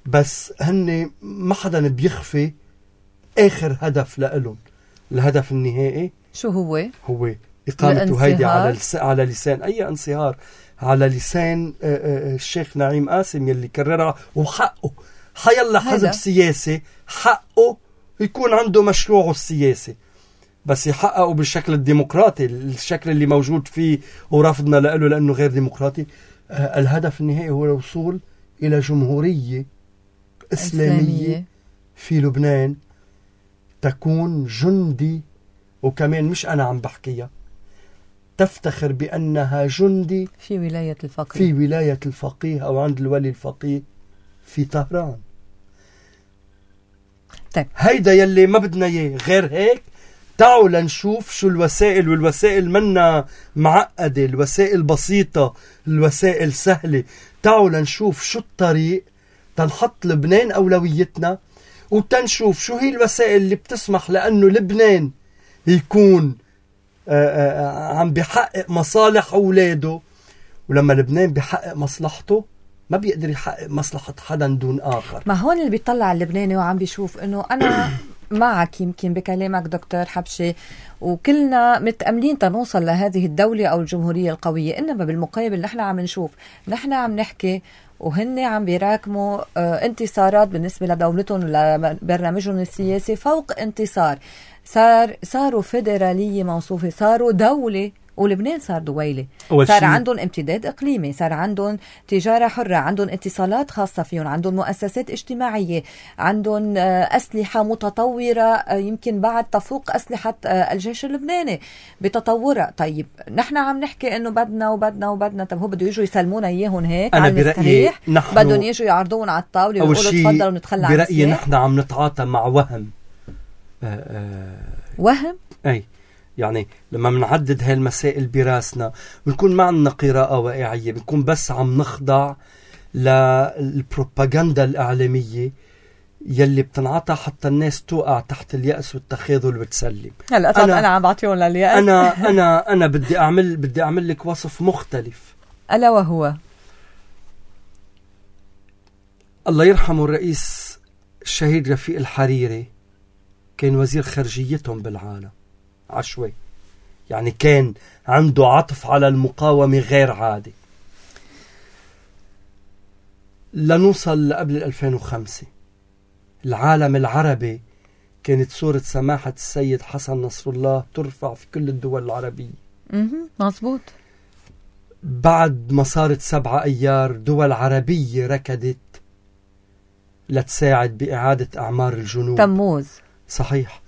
بس هن ما حدا بيخفي آخر هدف لإلهم. الهدف النهائي شو هو إقامته هيدي على لسان أي انصهار، على لسان الشيخ نعيم قاسم يلي كررها. وحقه حيالله حزب سياسي حقه يكون عنده مشروعه السياسي، بس يحققه بالشكل الديمقراطي، الشكل اللي موجود فيه ورفضنا له لأنه غير ديمقراطي. الهدف النهائي هو الوصول إلى جمهورية إسلامية في لبنان تكون جندي، وكمان مش أنا عم بحكيها، تفتخر بأنها جندي في ولاية الفقيه أو عند الولي الفقيه في طهران. طيب. هيدا يلي ما بدنا اياه. غير هيك تعالوا لنشوف شو الوسائل، والوسائل منا معقدة، الوسائل بسيطة، الوسائل سهلة. تعالوا لنشوف شو الطريق تنحط لبنان أولويتنا، وتنشوف شو هي الوسائل اللي بتسمح لأنه لبنان يكون عم بيحقق مصالح أولاده. ولما لبنان بيحقق مصلحته ما بيقدر يحقق مصلحة حدا دون آخر. ما هون اللي بيطلع اللبناني وعم بيشوف إنه أنا معك يمكن بكلامك دكتور حبشي، وكلنا متأملين تنوصل لهذه الدولة أو الجمهورية القوية. إنما بالمقابل نحن عم نشوف، نحن عم نحكي وهن عم بيراكموا انتصارات بالنسبة لدولتهم ولبرنامجهم السياسي فوق انتصار. صاروا فيدرالية موصوفة، صاروا دولة، ولبنان صار دويلة، صار عندهم امتداد إقليمي، صار عندهم تجارة حرة، عندهم اتصالات خاصة فيهم، عندهم مؤسسات اجتماعية، عندهم أسلحة متطورة يمكن بعد تفوق أسلحة الجيش اللبناني بتطورها. طيب نحن عم نحكي إنه بدنا وبدنا وبدنا، طب هو بده يجوا يسلمونا إياهم هيك على المستريح؟ بدهم يجوا يعرضون على الطاولة ويقولوا تفضلوا نتخلى عن السلاح؟ برأيي نحن عم نتعاطى مع وهم. وهم؟ أي يعني لما منعدد هاي المسائل براسنا بنكون ما عندنا قراءة واقعية، بنكون بس عم نخضع للبروباغندا الإعلامية يلي بتنعطى حتى الناس توقع تحت اليأس والتخاذل وتسلم. هلا أنا عم بعطيهم لليأس. أنا بدي أعمل لك وصف مختلف، ألا وهو الله يرحمه الرئيس الشهيد رفيق الحريري، كان وزير خارجيتهم بالعالم عشوائي، يعني كان عنده عطف على المقاومة غير عادي. لنوصل قبل 2005 العالم العربي كانت صورة سماحة السيد حسن نصر الله ترفع في كل الدول العربية. مظبوط. بعد ما صارت 7 أيار دول عربية ركضت لتساعد بإعادة أعمار الجنوب. تموز صحيح.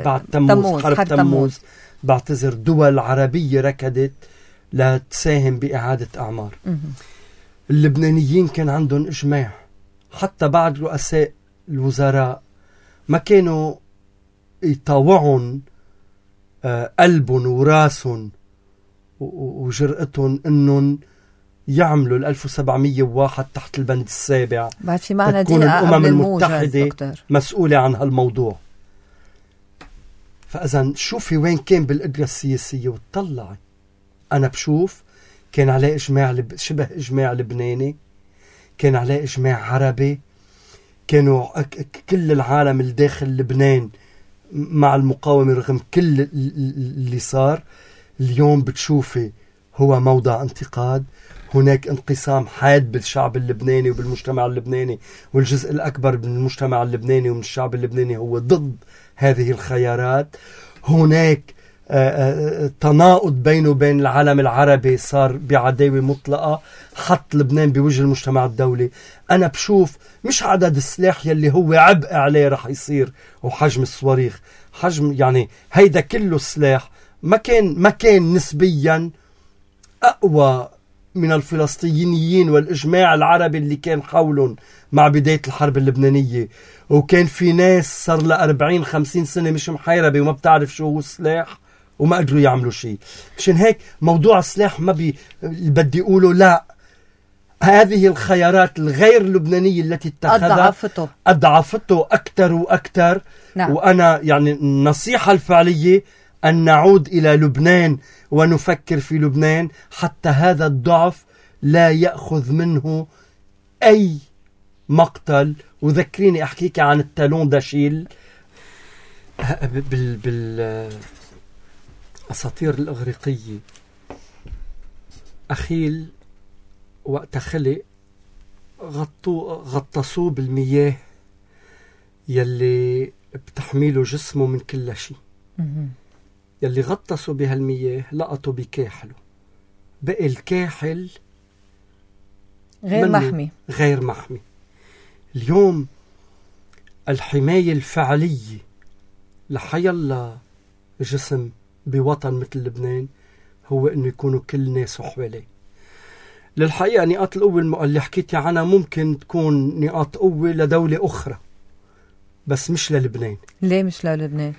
بعد تموز، حرب تموز، بعتذر، دول عربية ركضت لتساهم بإعادة أعمار. اللبنانيين كان عندهم إجماع، حتى بعد رؤساء الوزراء ما كانوا يطاوعون قلبهم وراسهم وجرأتهم انهم يعملوا 1701 تحت البند السابع. بعد في معنى تكون الأمم المتحدة مسؤولة عن هالموضوع. فإذا شوفي وين كان بالقدرة السياسية وتطلعي. أنا بشوف كان عليه إجماع شبه إجماع لبناني، كان عليه إجماع عربي، كانوا كل العالم الداخل لبنان مع المقاومة رغم كل اللي صار. اليوم بتشوفي هو موضع انتقاد، هناك انقسام حاد بالشعب اللبناني وبالمجتمع اللبناني، والجزء الأكبر من المجتمع اللبناني ومن الشعب اللبناني هو ضد هذه الخيارات. هناك تناقض بينه وبين العالم العربي، صار بعداوة مطلقة، حط لبنان بوجه المجتمع الدولي. أنا بشوف مش عدد السلاح يلي هو عبء عليه رح يصير، وحجم الصواريخ، حجم يعني هيدا كله السلاح ما كان نسبيا أقوى من الفلسطينيين والإجماع العربي اللي كان حولهم مع بداية الحرب اللبنانية. وكان في ناس صار لها 40-50 سنة مش محيربة وما بتعرف شو هو السلاح وما قدروا يعملوا شيء. مشان هيك موضوع السلاح ما بدي أقوله لا، هذه الخيارات الغير لبنانية التي اتخذها أضعفته أكثر وأكثر. نعم. وأنا يعني النصيحة الفعلية أن نعود إلى لبنان ونفكر في لبنان حتى هذا الضعف لا يأخذ منه أي مقتل. وذكريني أحكيك عن التالون داشيل بالأساطير الإغريقية. أخيل وقت خلق غطسوه بالمياه يلي بتحميله جسمه من كل شيء. يلي غطسوا بهالمياه لقطوا بكاحله، بقي الكاحل غير محمي. اليوم الحماية الفعلية لحيالله جسم بوطن مثل لبنان هو انه يكونوا كل ناس حواليه. للحقيقة نقاط القوة اللي حكيتي عنها ممكن تكون نقاط قوة لدولة أخرى بس مش للبنان. ليه مش للبنان؟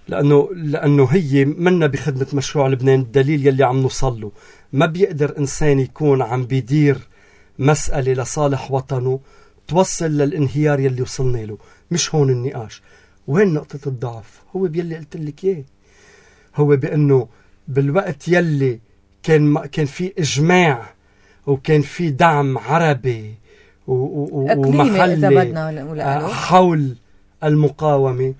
لأنه هي منا بخدمة مشروع لبنان. الدليل يلي عم نوصله، ما بيقدر إنسان يكون عم بيدير مسألة لصالح وطنه توصل للانهيار يلي وصلنا له. مش هون النقاش. وين نقطة الضعف؟ هو بيلي قلت لك إياه، هو بأنه بالوقت يلي كان في إجماع وكان في دعم عربي ومحلي حول المقاومة،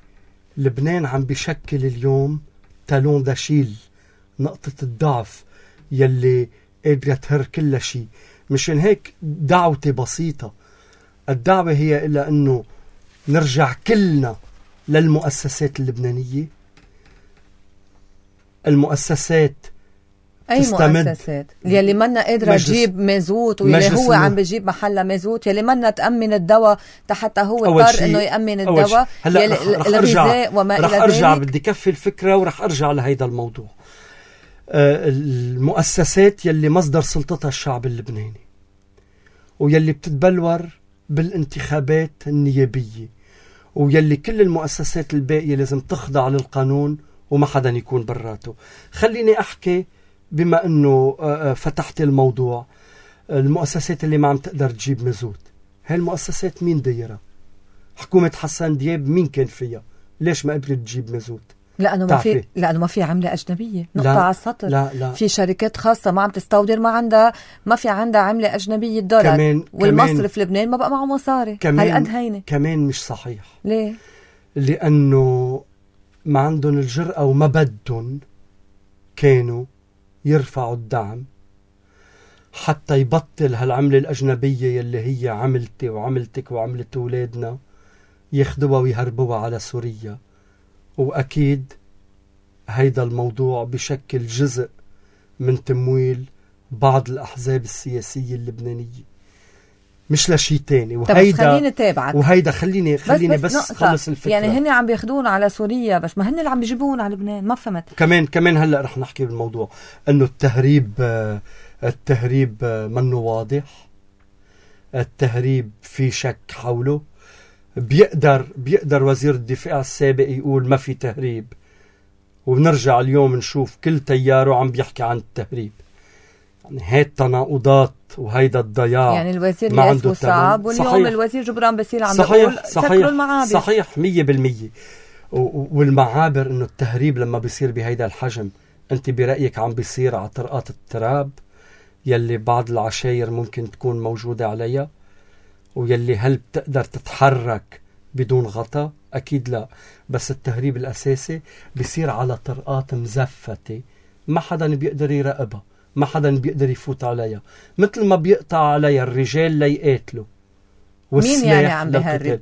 لبنان عم بيشكل اليوم تالون داشيل، نقطة الضعف يلي قادرة تهر كل شيء. مشان هيك دعوتي بسيطة، الدعوة هي إلا أنه نرجع كلنا للمؤسسات اللبنانية. المؤسسات أي مؤسسات يلي منا قادرة تجيب مازوت، ويلي هو عم بيجيب محلها مازوت، يلي منا تأمن الدواء حتى هو اضطر انه يأمن الدواء، الغذاء وما إلى ذلك. رح أرجع بدي كفي الفكرة ورح أرجع لهيدا الموضوع. المؤسسات يلي مصدر سلطتها الشعب اللبناني، ويلي بتتبلور بالانتخابات النيابية، ويلي كل المؤسسات الباقية لازم تخضع للقانون وما حدا يكون براته. خليني أحكي بما أنه فتحت الموضوع. المؤسسات اللي ما عم تقدر تجيب مازوت، هاي المؤسسات مين دايرها؟ حكومة حسن دياب مين كان فيها؟ ليش ما قدرت تجيب مازوت؟ لأنه ما في عملة أجنبية. نقطة على السطر. لا. في شركات خاصة ما عم تستودر، ما في عندها عملة أجنبية دولار، والمصرف في لبنان ما بقى معه مصاري. هالقد هينة. كمان مش صحيح. ليه؟ لأنه ما عندهم الجرأة وما بدهم كانوا يرفعوا الدعم حتى يبطل هالعملة الأجنبية يلي هي عملتي وعملتك وعملت أولادنا ياخدوها ويهربوها على سوريا. وأكيد هيدا الموضوع بشكل جزء من تمويل بعض الأحزاب السياسية اللبنانية، مش لشي تاني. وهيدا خليني تابعك، وهيدا خليني بس خلص الفكرة. يعني هن عم بياخدون على سوريا، بس ما هن اللي عم بيجيبون على لبنان. ما فهمت. كمان هلأ رح نحكي بالموضوع انه التهريب منه واضح. التهريب في شك حوله. بيقدر وزير الدفاع السابق يقول ما في تهريب، وبنرجع اليوم نشوف كل تياره عم بيحكي عن التهريب. يعني هاي التناقضات وهيدا الضياع. يعني الوزير ياسو صعب، واليوم صحيح. الوزير جبران باسيل عم بيقول سكروا المعابر. صحيح 100%. والمعابر انه التهريب لما بيصير بهيدا الحجم، انت برأيك عم بيصير على طرقات التراب يلي بعض العشاير ممكن تكون موجودة عليها، ويلي هل بتقدر تتحرك بدون غطاء؟ أكيد لا. بس التهريب الأساسي بيصير على طرقات مزفتة ما حدا بيقدر يراقبها، ما حدا بيقدر يفوت عليها، مثل ما بيقطع عليها الرجال ليقاتلوا. مين يعني عم بهرب؟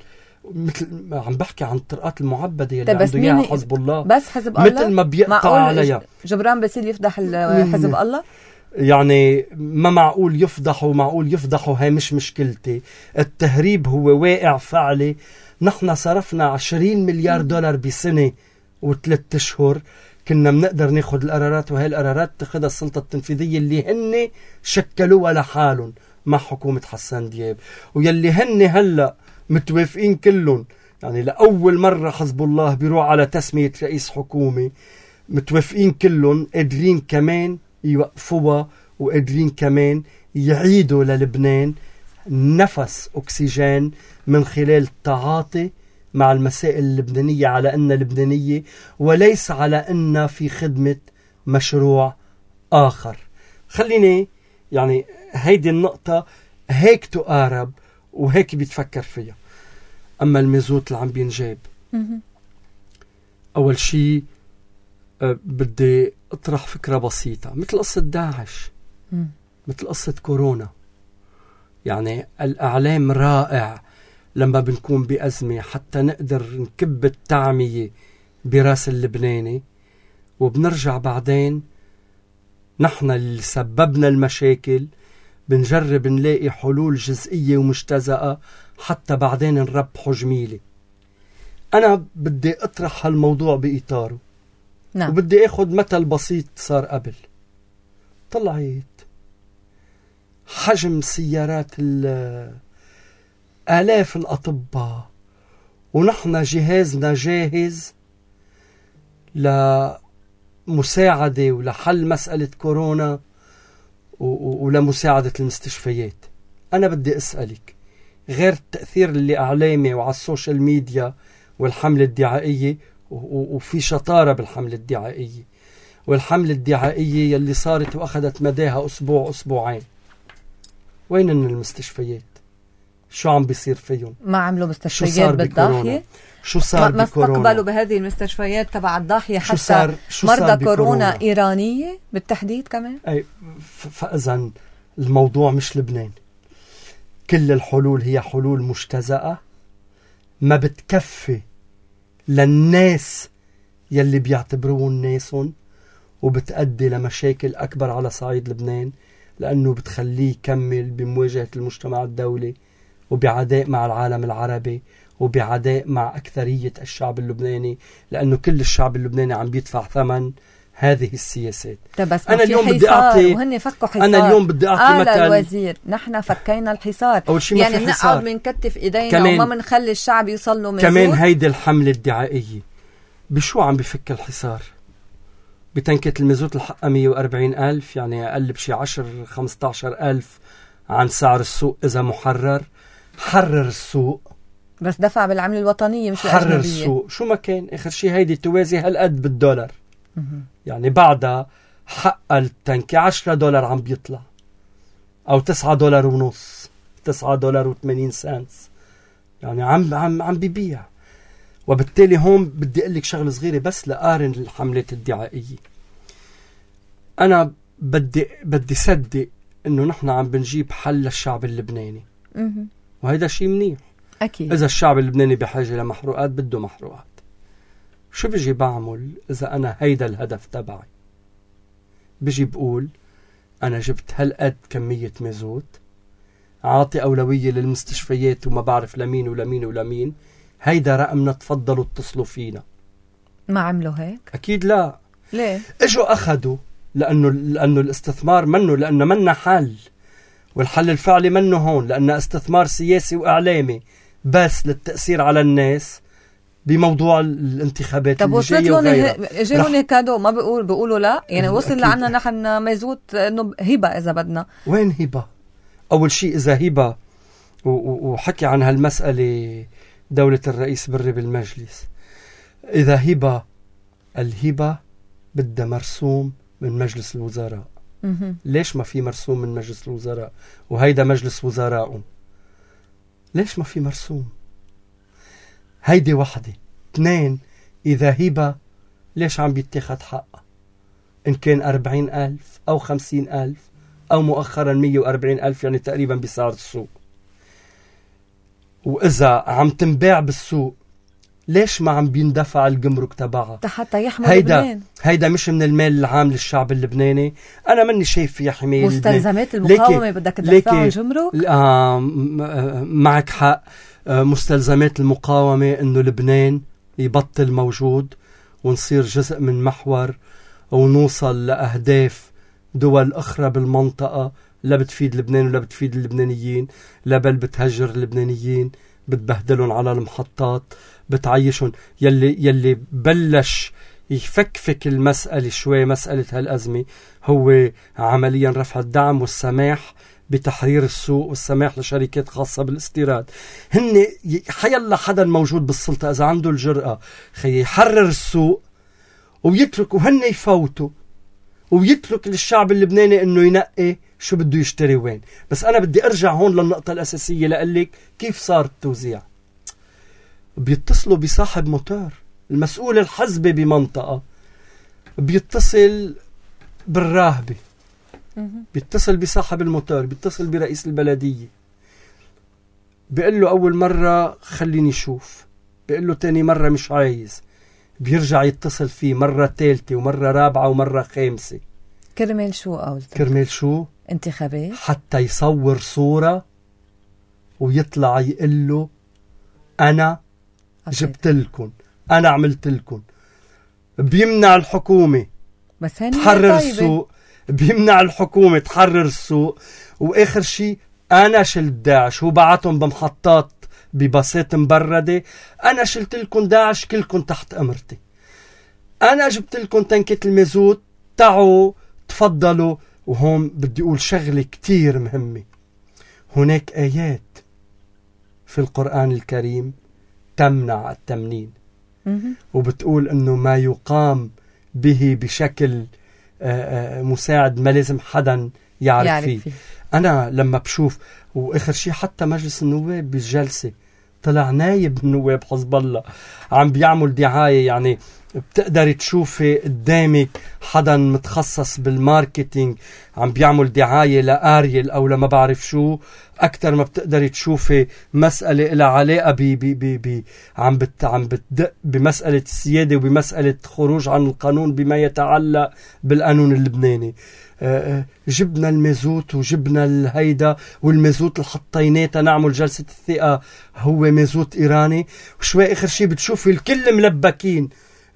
مثل عم بحكي عن الطرقات المعبدة يلي عنده إياها حزب الله. بس حزب الله مثل ما بيقطع عليها. جبران باسيل يفضح حزب الله؟ يعني ما معقول يفضحوا. هاي مش مشكلتي. التهريب هو واقع فعلي. نحن صرفنا 20 مليار دولار بسنة و3 أشهر كنا بنقدر ناخد القرارات، وهي القرارات تاخدها السلطة التنفيذية اللي هن شكلوها لحالهم مع حكومة حسن دياب، ويلي هن هلأ متوافقين كلهم. يعني لأول مرة حزب الله بيروح على تسمية رئيس حكومة، متوافقين كلهم، قادرين كمان يوقفوها، وقادرين كمان يعيدوا للبنان نفس أكسجين من خلال التعاطي مع المسائل اللبنانية على أنها لبنانية، وليس على أنها في خدمة مشروع آخر. خليني يعني هيدي النقطة هيك تقارب وهيك بيتفكر فيها. أما المازوت اللي عم بينجاب، أول شيء بدي أطرح فكرة بسيطة، مثل قصة داعش، مثل قصة كورونا. يعني الإعلام رائع لما بنكون بأزمة حتى نقدر نكب التعمية براس اللبناني، وبنرجع بعدين نحن اللي سببنا المشاكل بنجرب نلاقي حلول جزئية ومجتزأة حتى بعدين نربحه جميلة. أنا بدي أطرح هالموضوع بإطاره. نعم. وبدي أخذ مثل بسيط صار قبل. طلعت حجم سيارات آلاف الأطباء، ونحن جهازنا جاهز لمساعدة ولحل مسألة كورونا ولمساعدة المستشفيات. أنا بدي أسألك، غير التأثير اللي أعلامي وعلى السوشيال ميديا والحملة الدعائية، وفي شطارة بالحملة الدعائية، والحملة الدعائية يلي صارت وأخذت مداها أسبوع أسبوعين، وين المستشفيات؟ شو عم بيصير فيهم؟ ما عملوا مستشفيات بالضاحية؟ شو صار ما بكورونا؟ استقبلوا بهذه المستشفيات تبع الضاحية حتى مرضى كورونا إيرانية بالتحديد كمان؟ أي فإذن الموضوع مش لبنان. كل الحلول هي حلول مجتزأة ما بتكفي للناس يلي بيعتبروهم ناسهم، وبتأدي لمشاكل أكبر على صعيد لبنان، لأنه بتخليه يكمل بمواجهة المجتمع الدولي وبعداء مع العالم العربي وبعداء مع أكثرية الشعب اللبناني، لأنه كل الشعب اللبناني عم بيدفع ثمن هذه السياسات. بس أنا اليوم بدي أعطي وهن فكوا حصار. أنا اليوم بدي أعطي مثل الوزير نحن فكينا الحصار، يعني بنقعد بنكتف إيدينا وما بنخلي الشعب يوصل له مزود. كمان هيدي الحملة الدعائية بشو عم بفك الحصار؟ بتنكة المازوت الحقها 140,000، يعني أقل بشي 10-15,000 عن سعر السوق إذا محرر. حرر السوق، بس دفع بالعملة الوطنية مش الأجنبية. حرر السوق شو ما كان، آخر شي هيدي توازي هالقد بالدولار. يعني بعدها حق التنكة $10 عم بيطلع، أو $9.50، $9.80، يعني عم بيبيع. وبالتالي هون بدي أقول لك شغلة صغيرة بس لقارن الحملات الدعائية. أنا بدي صدق إنه نحن عم بنجيب حل للشعب اللبناني، وهيدا شيء منيح أكيد. إذا الشعب اللبناني بحاجة لمحروقات بده محروقات. شو بيجي بعمل إذا أنا هيدا الهدف تبعي؟ بيجي بقول أنا جبت هالقد كمية مازوت، عاطي أولوية للمستشفيات وما بعرف لمين ولمين ولمين، هيدا رقمنا، تفضلوا اتصلوا فينا. ما عملوا هيك؟ أكيد لا. ليه؟ اجوا أخدوا، لأنه الاستثمار منه، لأنه منا حل، والحل الفعلي منه هون، لأنه استثمار سياسي وإعلامي بس للتأثير على الناس بموضوع الانتخابات اللي جاية وغيرها. جايون كادو، ما بيقولوا لا، يعني وصل لعنا نحن مازوت إنه هبة إذا بدنا. وين هبة؟ أول شيء إذا هبة، وحكي عن هالمسألة دولة الرئيس بري بالمجلس، إذا هبة، الهبة بدها مرسوم من مجلس الوزراء. ليش ما في مرسوم من مجلس الوزراء؟ وهيدا مجلس وزراء، ليش ما في مرسوم؟ هيدي واحدة. 2، إذا هبة ليش عم بيتاخد حق؟ إن كان 40,000 أو 50,000 أو مؤخرا 140,000، يعني تقريبا بسعر السوق. وإذا عم تنباع بالسوق ليش ما عم بيندفع الجمرك تبعها حتى يحمل لبنان؟ هيدا مش من المال العام للشعب اللبناني. أنا مني شايف فيها حماية مستلزمات المقاومة بدك تدفع الجمرك؟ معك حق. مستلزمات المقاومة إنه لبنان يبطل موجود ونصير جزء من محور، ونوصل لأهداف دول أخرى بالمنطقة لا بتفيد لبنان ولا بتفيد اللبنانيين، لا بل بتهجر اللبنانيين، بتبهدلهم على المحطات، بتعيشهم. يلي بلش يفكفك المسألة شوي، مسألة هالأزمة، هو عمليا رفع الدعم والسماح بتحرير السوق والسماح لشركات خاصة بالاستيراد. هن حيلا حدا موجود بالسلطة إذا عنده الجرأة يحرر السوق ويتركوا هن يفوتوا، ويترك للشعب اللبناني انه ينقي شو بده يشتري وين. بس انا بدي ارجع هون للنقطة الاساسية لأقلك كيف صار التوزيع. بيتصلوا بصاحب موتور، المسؤول الحزبي بمنطقة بيتصل بالراهبة، بيتصل بصاحب الموتور، بيتصل برئيس البلدية، بيقول له أول مرة خليني شوف، بيقول له تاني مرة مش عايز، بيرجع يتصل فيه مرة ثالثة ومرة رابعة ومرة خامسة. كرمال شو قولت؟ كرمال شو؟ انتخابات، حتى يصور صورة ويطلع يقول له أنا جبت لكم، أنا عملت لكم. بيمنع الحكومة بس تحرر السوق، بيمنع الحكومة تحرر السوق، وآخر شيء أنا شلت داعش. هو بعتهم بمحطات ببساط مبردة، أنا شلت لكم داعش كلكم تحت أمرتي، أنا جبت لكم تنكة المازوت، تعوا تفضلوا. وهون بدي أقول شغلة كتير مهمة، هناك آيات في القرآن الكريم تمنع التمنين، وبتقول أنه ما يقام به بشكل مساعد ما لازم حدا يعرف فيه. أنا لما بشوف وآخر شيء حتى مجلس النواب بالجلسة طلع نايب النواب حزب الله عم بيعمل دعاية. يعني بتقدر تشوفي قدامك حدا متخصص بالماركتينج عم بيعمل دعاية لآريل أو لما بعرف شو، أكتر ما بتقدر تشوفي مسألة إلها علاقة عم بتدق بمسألة السيادة وبمسألة خروج عن القانون بما يتعلق بالقانون اللبناني. جبنا المازوت وجبنا الهيدا، والمازوت اللي حطيناه تنعمل جلسة الثقة هو مازوت إيراني، وشوي آخر شيء بتشوفي الكل ملبكين،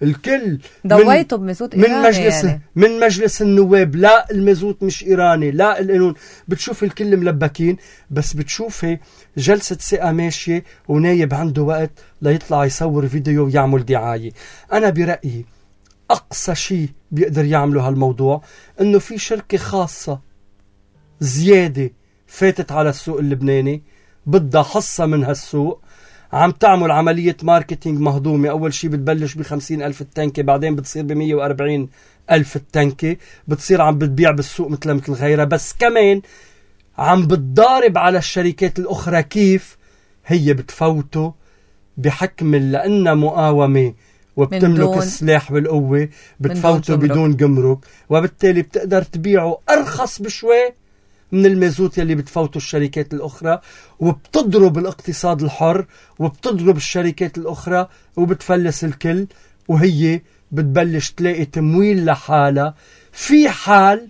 الكل ضويته بمازوت إيراني يعني. من مجلس النواب لا المازوت مش إيراني لا القانون، بتشوفي الكل ملبكين. بس بتشوفي جلسة ثقة ماشية ونايب عنده وقت ليطلع يصور فيديو ويعمل دعاية. أنا برأيي أقصى شيء بيقدر يعمله هالموضوع إنه في شركة خاصة زيادة فاتت على السوق اللبناني بدها حصة من هالسوق، عم تعمل عملية ماركتينج مهضومة. أول شيء بتبلش ب50,000 التنكة، بعدين بتصير ب140,000 التنكة، بتصير عم بتبيع بالسوق مثل غيرها، بس كمان عم بتضارب على الشركات الأخرى كيف هي بتفوته بحكم لأنها مقاومة وبتملك السلاح والقوة، بتفوته بدون جمرك، وبالتالي بتقدر تبيعه أرخص بشوي من المازوت يلي بتفوتوا الشركات الأخرى، وبتضرب الاقتصاد الحر وبتضرب الشركات الأخرى وبتفلس الكل، وهي بتبلش تلاقي تمويل لحالها في حال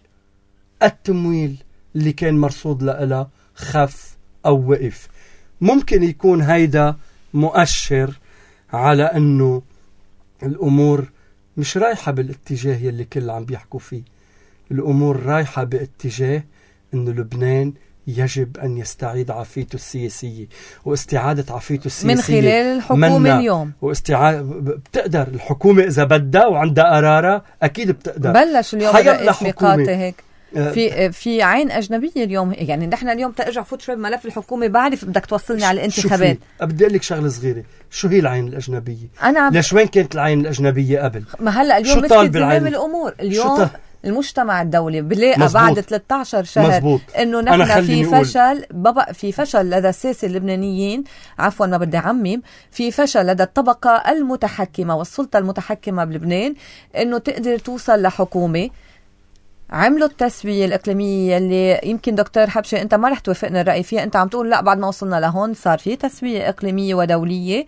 التمويل اللي كان مرصود لها خف أو وقف. ممكن يكون هيدا مؤشر على أنه الأمور مش رايحة بالاتجاه يلي كل عم بيحكوا فيه. الأمور رايحة باتجاه أن لبنان يجب أن يستعيد عافيته السياسية، واستعادة عافيته السياسية من خلال الحكومة اليوم. بتقدر الحكومة إذا بدها وعندها قرارة أكيد بتقدر. بلش اليوم الرئيس ميقاتي هيك في عين أجنبية اليوم. يعني نحن اليوم ترجع فوت شوي بملف الحكومة، بعرف بدك توصلني على الانتخابات. بدي أقول لك شغلة صغيرة، شو هي العين الأجنبية؟ ليش وين كانت العين الأجنبية قبل؟ ما هلا اليوم مسكت زمام الأمور. اليوم المجتمع الدولي بلاقى بعد 13 شهر مزبوط. انه نحن في فشل لدى الساسة اللبنانيين، عفوا ما بدي عمم، في فشل لدى الطبقة المتحكمة والسلطة المتحكمة بلبنان انه تقدر توصل لحكومة. عملوا التسوية الإقليمية اللي يمكن دكتور حبشة أنت ما رح توافقنا الرأي فيها، أنت عم تقول لا بعد ما وصلنا لهون صار في تسوية إقليمية ودولية.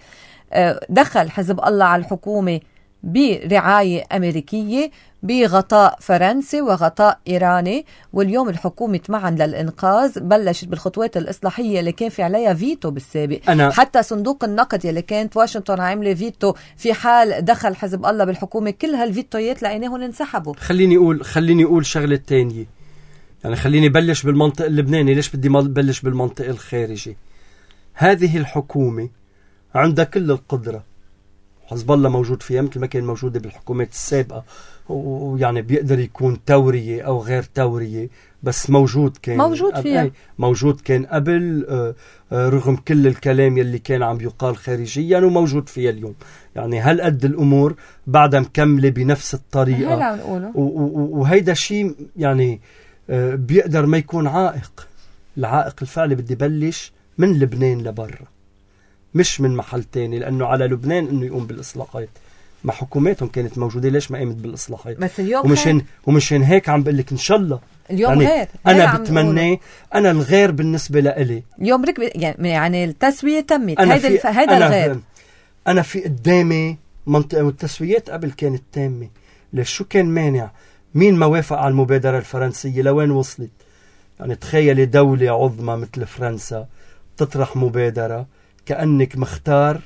دخل حزب الله على الحكومة برعاية أمريكية بغطاء فرنسي وغطاء إيراني، واليوم الحكومة معا للإنقاذ بلشت بالخطوات الإصلاحية اللي كان في عليها فيتو بالسابق. حتى صندوق النقد اللي كانت واشنطن عاملة فيتو في حال دخل حزب الله بالحكومة، كل هالفيتويات لقيناهم انسحبوا. خليني أقول شغلة تانية، يعني خليني بلش بالمنطق اللبناني. ليش بدي ما بلش بالمنطق الخارجي؟ هذه الحكومة عندها كل القدرة، حزب الله موجود فيها مثل ما كان موجودة بالحكومات السابقة، ويعني بيقدر يكون تورية أو غير تورية، بس موجود فيها موجود كان قبل، رغم كل الكلام يلي كان عم يقال خارجيا، وموجود فيها اليوم. يعني هل قد الأمور بعدها مكملة بنفس الطريقة، وهيدا شيء يعني بيقدر ما يكون عائق. العائق الفعلي بدي بلش من لبنان لبرا، مش من محل تاني، لأنه على لبنان إنه يقوم بالإصلاحات. ما حكوماتهم كانت موجودة، ليش ما قامت بالإصلاحات؟ بس اليوم ومشان هيك عم بقول لك إن شاء الله اليوم يعني غير. أنا بتمنى، أنا الغير بالنسبة لإلي اليوم يعني التسوية تمت، هيدا الغير. أنا في قدامي منطقة، والتسويات قبل كانت تامة. ليش؟ شو كان مانع؟ مين ما وافق على المبادرة الفرنسية لوين وصلت؟ يعني تخيلي دولة عظمى مثل فرنسا تطرح مبادرة كأنك مختار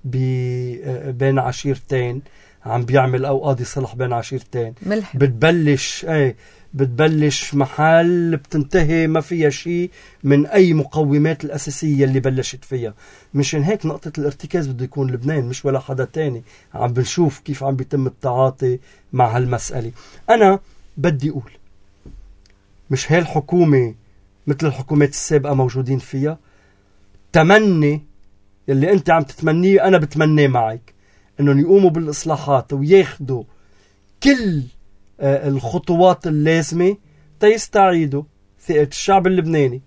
بين عشيرتين، عم بيعمل أو قاضي صلح بين عشيرتين، بتبلش محل بتنتهي ما فيها شيء من أي مقومات الأساسية اللي بلشت فيها. مشان هيك نقطة الارتكاز بده يكون لبنان، مش ولا حدا تاني. عم بنشوف كيف عم بيتم التعاطي مع هالمسألة. أنا بدي أقول مش هاي الحكومة مثل الحكومات السابقة موجودين فيها. تمني اللي انت عم تتمنيه انا بتمنيه معك، انهم يقوموا بالاصلاحات وياخدوا كل الخطوات اللازمة تيستعيدوا ثقة الشعب اللبناني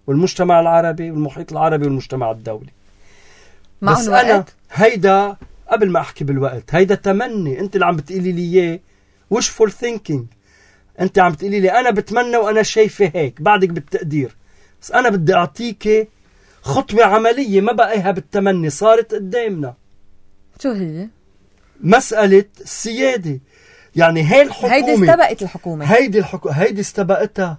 والمجتمع العربي والمحيط العربي والمجتمع الدولي. بس أنا هيدا قبل ما أحكي بالوقت، هيدا تمني. أنت اللي عم بتقولي لي إياه wishful thinking. أنت عم بتقولي لي أنا بتمنى وأنا شايفة هيك، بعدك بالتقدير. بس أنا بدي أعطيك خطوة عملية ما بقيها بالتمني، صارت قدامنا. شو هي؟ مسألة السيادة. يعني هاي الحكومة هيدي استبقت الحكومة، هيدي استبقتها.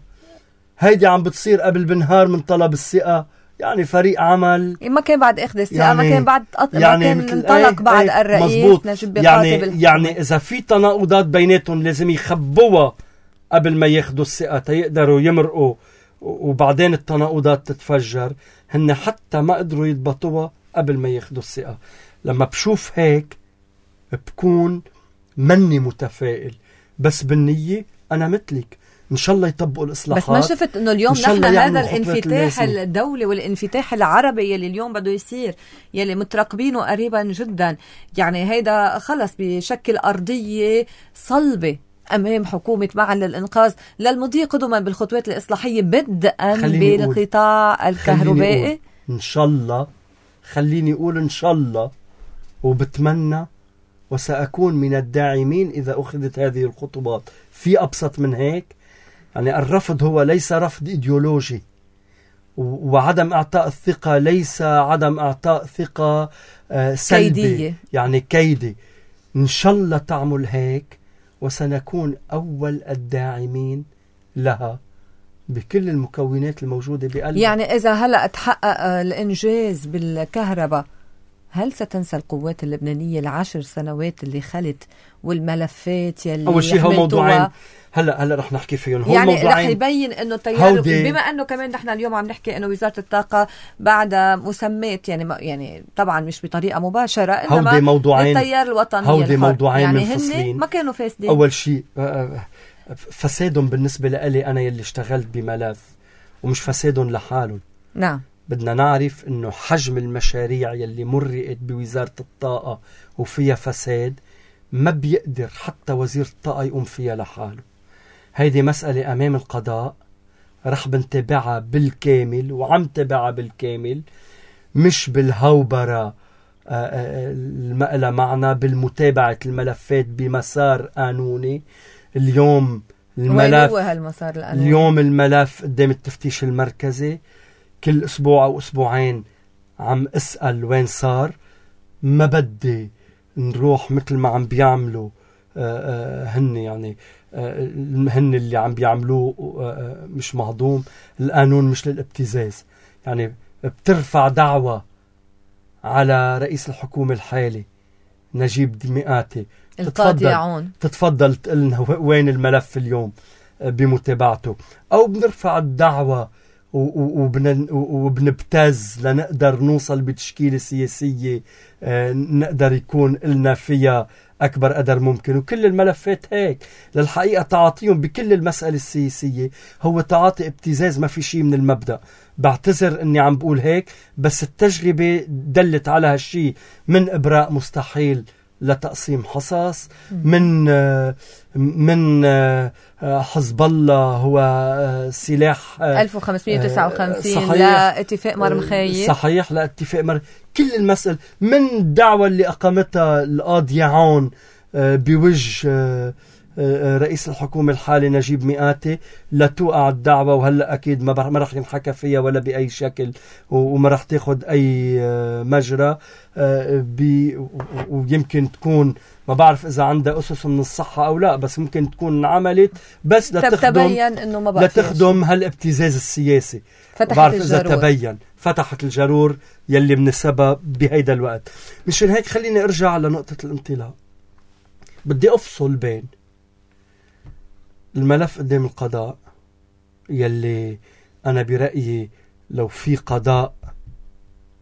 هيدي عم بتصير قبل بنهار من طلب الثقة. يعني فريق عمل ما كان بعد اخذ الثقة، يعني ما كان بعد يعني ما كان انطلق بعد الرئيس نجيب بقاتب. يعني إذا في تناقضات بيناتهم لازم يخبوها قبل ما ياخدوا الثقة تيقدروا يمرقوا، وبعدين التناقضات تتفجر. هن حتى ما قدروا يضبطوها قبل ما ياخدوا الثقة. لما بشوف هيك بكون مني متفائل، بس بالنية أنا مثلك إن شاء الله يطبقوا الإصلاحات. بس ما شفت إنه اليوم نحن هذا الانفتاح الدولي والانفتاح العربي يلي اليوم بده يصير، يلي مترقبينه قريبا جدا، يعني هيدا خلص بشكل أرضية صلبة أمام حكومة معا للإنقاذ للمضي قدما بالخطوات الإصلاحية بدءا بالقطاع الكهربائي. إن شاء الله، خليني أقول إن شاء الله، وبتمنى وسأكون من الداعمين إذا أخذت هذه الخطوات. في أبسط من هيك؟ يعني الرفض هو ليس رفض إيديولوجي، وعدم إعطاء الثقة ليس عدم إعطاء ثقة سلبي كيدية. يعني كيدي. إن شاء الله تعمل هيك وسنكون أول الداعمين لها بكل المكونات الموجودة بقلبها. يعني إذا هلأ تحقق الإنجاز بالكهرباء، هل ستنسى القوات اللبنانية ال10 سنوات اللي خلت والملفات يلي أول شيء هو موضوعين هلا رح نحكي فيهم. هو يعني رح يبين انه التيار، بما انه كمان نحن اليوم عم نحكي انه وزارة الطاقة بعد مسميت يعني طبعا مش بطريقة مباشرة، انما موضوعين التيار الوطني هودي موضوعين يعني منفصلين، ما كانوا فاسدين. اول شيء فسادهم بالنسبة لي انا يلي اشتغلت بملف، ومش فسادهم لحالهم. نعم، بدنا نعرف انه حجم المشاريع يلي مرقت بوزارة الطاقة وفيها فساد ما بيقدر حتى وزير الطاقة يقوم فيها لحاله. هيدي مسألة أمام القضاء، رح بنتابعها بالكامل وعم تابعها بالكامل، مش بالهوبرة المقلة معنا، بالمتابعة الملفات بمسار قانوني. اليوم الملف اليوم الملف قدام التفتيش المركزي، كل أسبوع أو أسبوعين عم أسأل وين صار. ما بدي نروح مثل ما عم بيعملوا هن، يعني هن اللي عم بيعملوه مش مهضوم. القانون مش للابتزاز. يعني بترفع دعوة على رئيس الحكومة الحالي نجيب مئاتي، تتفضل تقلنا وين الملف اليوم بمتابعته، أو بنرفع الدعوة وبنبتز لنقدر نوصل بتشكيلة سياسية نقدر يكون لنا فيها أكبر قدر ممكن. وكل الملفات هيك للحقيقة تعاطيهم بكل المسألة السياسية هو تعاطي ابتزاز، ما في شيء من المبدأ. بعتذر أني عم بقول هيك، بس التجربة دلت على هالشي، من إبراء مستحيل لتقسيم حصص، من حزب الله هو سلاح 1559 لاتفاق مرمخية، صحيح، لاتفاق كل المسألة، من الدعوة اللي أقامتها القاضي عون بوجه رئيس الحكومة الحالي نجيب مئاتي لتوقع الدعوة، وهلأ أكيد ما رح ينحكى فيها ولا بأي شكل، وما رح تاخد أي مجرى. ويمكن تكون، ما بعرف إذا عندها أسس من الصحة أو لا، بس ممكن تكون عملت بس لتخدم هالابتزاز السياسي. بعرف إذا تبين فتحت الجرور يلي من السبب بهيدا الوقت. مشان هيك خليني أرجع لنقطة الانطلاق. بدي أفصل بين الملف قدام القضاء يلي أنا برأيي لو في قضاء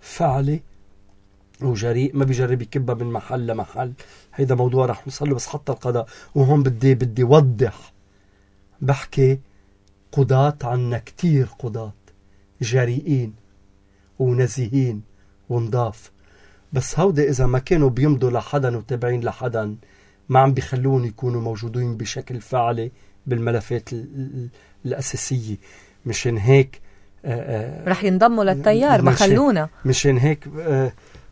فعلي وجريء ما بيجرب يكبها من محل لمحل، هيدا موضوع رح نوصل له، بس حتى القضاء. وهون بدي وضح، بحكي قضاة عنا كتير قضاة جريئين ونزيهين ونضاف، بس هودا إذا ما كانوا بيمضوا لحدا وتابعين لحدا ما عم بيخلون يكونوا موجودين بشكل فعلي بالملفات الأساسية. مشان هيك رح ينضموا للتيار، ما خلونا. مشان هيك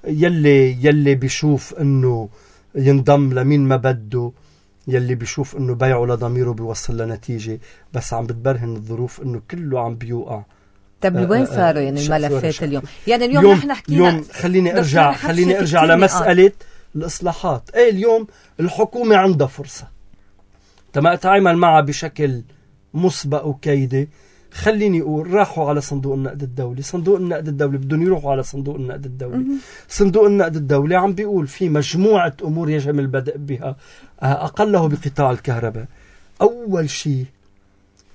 يلي بيشوف انه ينضم لمين ما بده، يلي بيشوف انه بيعه لضميره بيوصل لنتيجة، بس عم بتبرهن الظروف انه كله عم بيوقع. طب وين صاروا يعني الملفات اليوم؟ يعني اليوم نحن حكينا. اليوم خليني ارجع لمسألة الإصلاحات. اليوم الحكومة عندها فرصة تما اتعامل معها بشكل مسبق وكيدي. خليني أقول راحوا على صندوق النقد الدولي. صندوق النقد الدولي بدهم يروحوا على صندوق النقد الدولي. صندوق النقد الدولي عم بيقول في مجموعة أمور يجب البدء بها، أقله بقطاع الكهرباء. أول شيء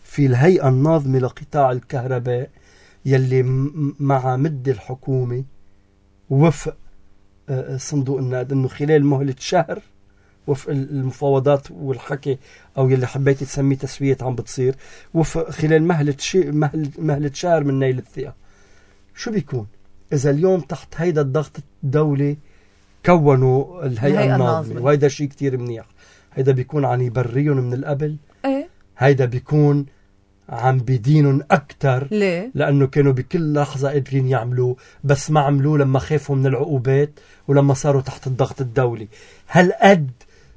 في الهيئة الناظمة لقطاع الكهرباء يلي مع مد الحكومة وفق صندوق النقد إنه خلال مهلة شهر، وفق المفاوضات والحكي أو يلي حبيت تسميه تسوية عم بتصير، وفق خلال مهلة شهر من نيل الثقة. شو بيكون إذا اليوم تحت هيدا الضغط الدولي كونوا الهيئة الناظمة؟ وهيدا شيء كتير منيح. هيدا بيكون عن يبريون من القبل. هيدا بيكون عم بدينهم أكتر. ليه؟ لأنه كانوا بكل لحظة قادرين يعملوه، بس ما عملوه لما خافوا من العقوبات ولما صاروا تحت الضغط الدولي. هل قد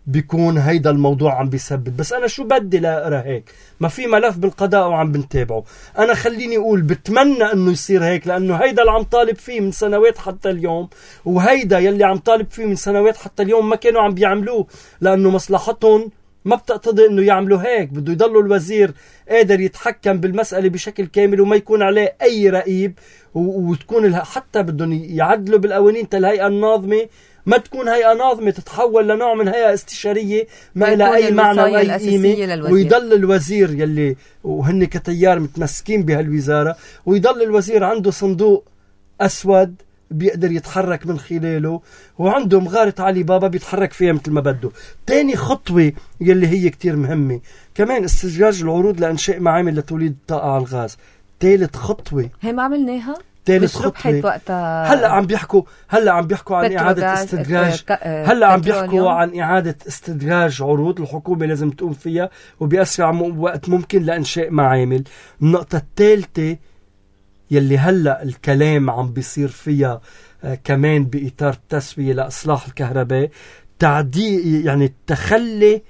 بيكون هيدا الموضوع عم بيسبب؟ بس أنا شو بدي لا أقرأ هيك؟ ما في ملف بالقضاء وعم بنتابعه. أنا خليني أقول بتمنى أنه يصير هيك، لأنه هيدا اللي عم طالب فيه من سنوات حتى اليوم، وهيدا يلي عم طالب فيه من سنوات حتى اليوم ما كانوا عم بيعملوه، لأنه مصلحتهم ما بتقتضي انه يعملوا هيك. بده يضلوا الوزير قادر يتحكم بالمسألة بشكل كامل وما يكون عليه اي رقيب، وتكون حتى بدهم يعدلوا بالقوانين الهيئة الناظمة ما تكون هيئة ناظمة، تتحول لنوع من هيئة استشارية ما لها اي معنى واي قيمة، ويضل الوزير يلي وهن كتيار متمسكين بهالوزارة، ويضل الوزير عنده صندوق اسود بيقدر يتحرك من خلاله، وعنده مغارة علي بابا بيتحرك فيها مثل ما بده. تاني خطوة يلي هي كتير مهمة كمان استخراج العروض لإنشاء معامل لتوليد الطاقة على الغاز. ثالث خطوة هي ما عملناها. ثالث خطوة هلا عم بيحكوا عن إعادة استدراج. هلا عم بيحكوا عن إعادة استدراج عروض الحكومة لازم تقوم فيها وبأسرع وقت ممكن لإنشاء معامل. النقطة الثالثة يلي هلأ الكلام عم بيصير فيها كمان بإطار التسوية لإصلاح الكهرباء، تعديل يعني التخلي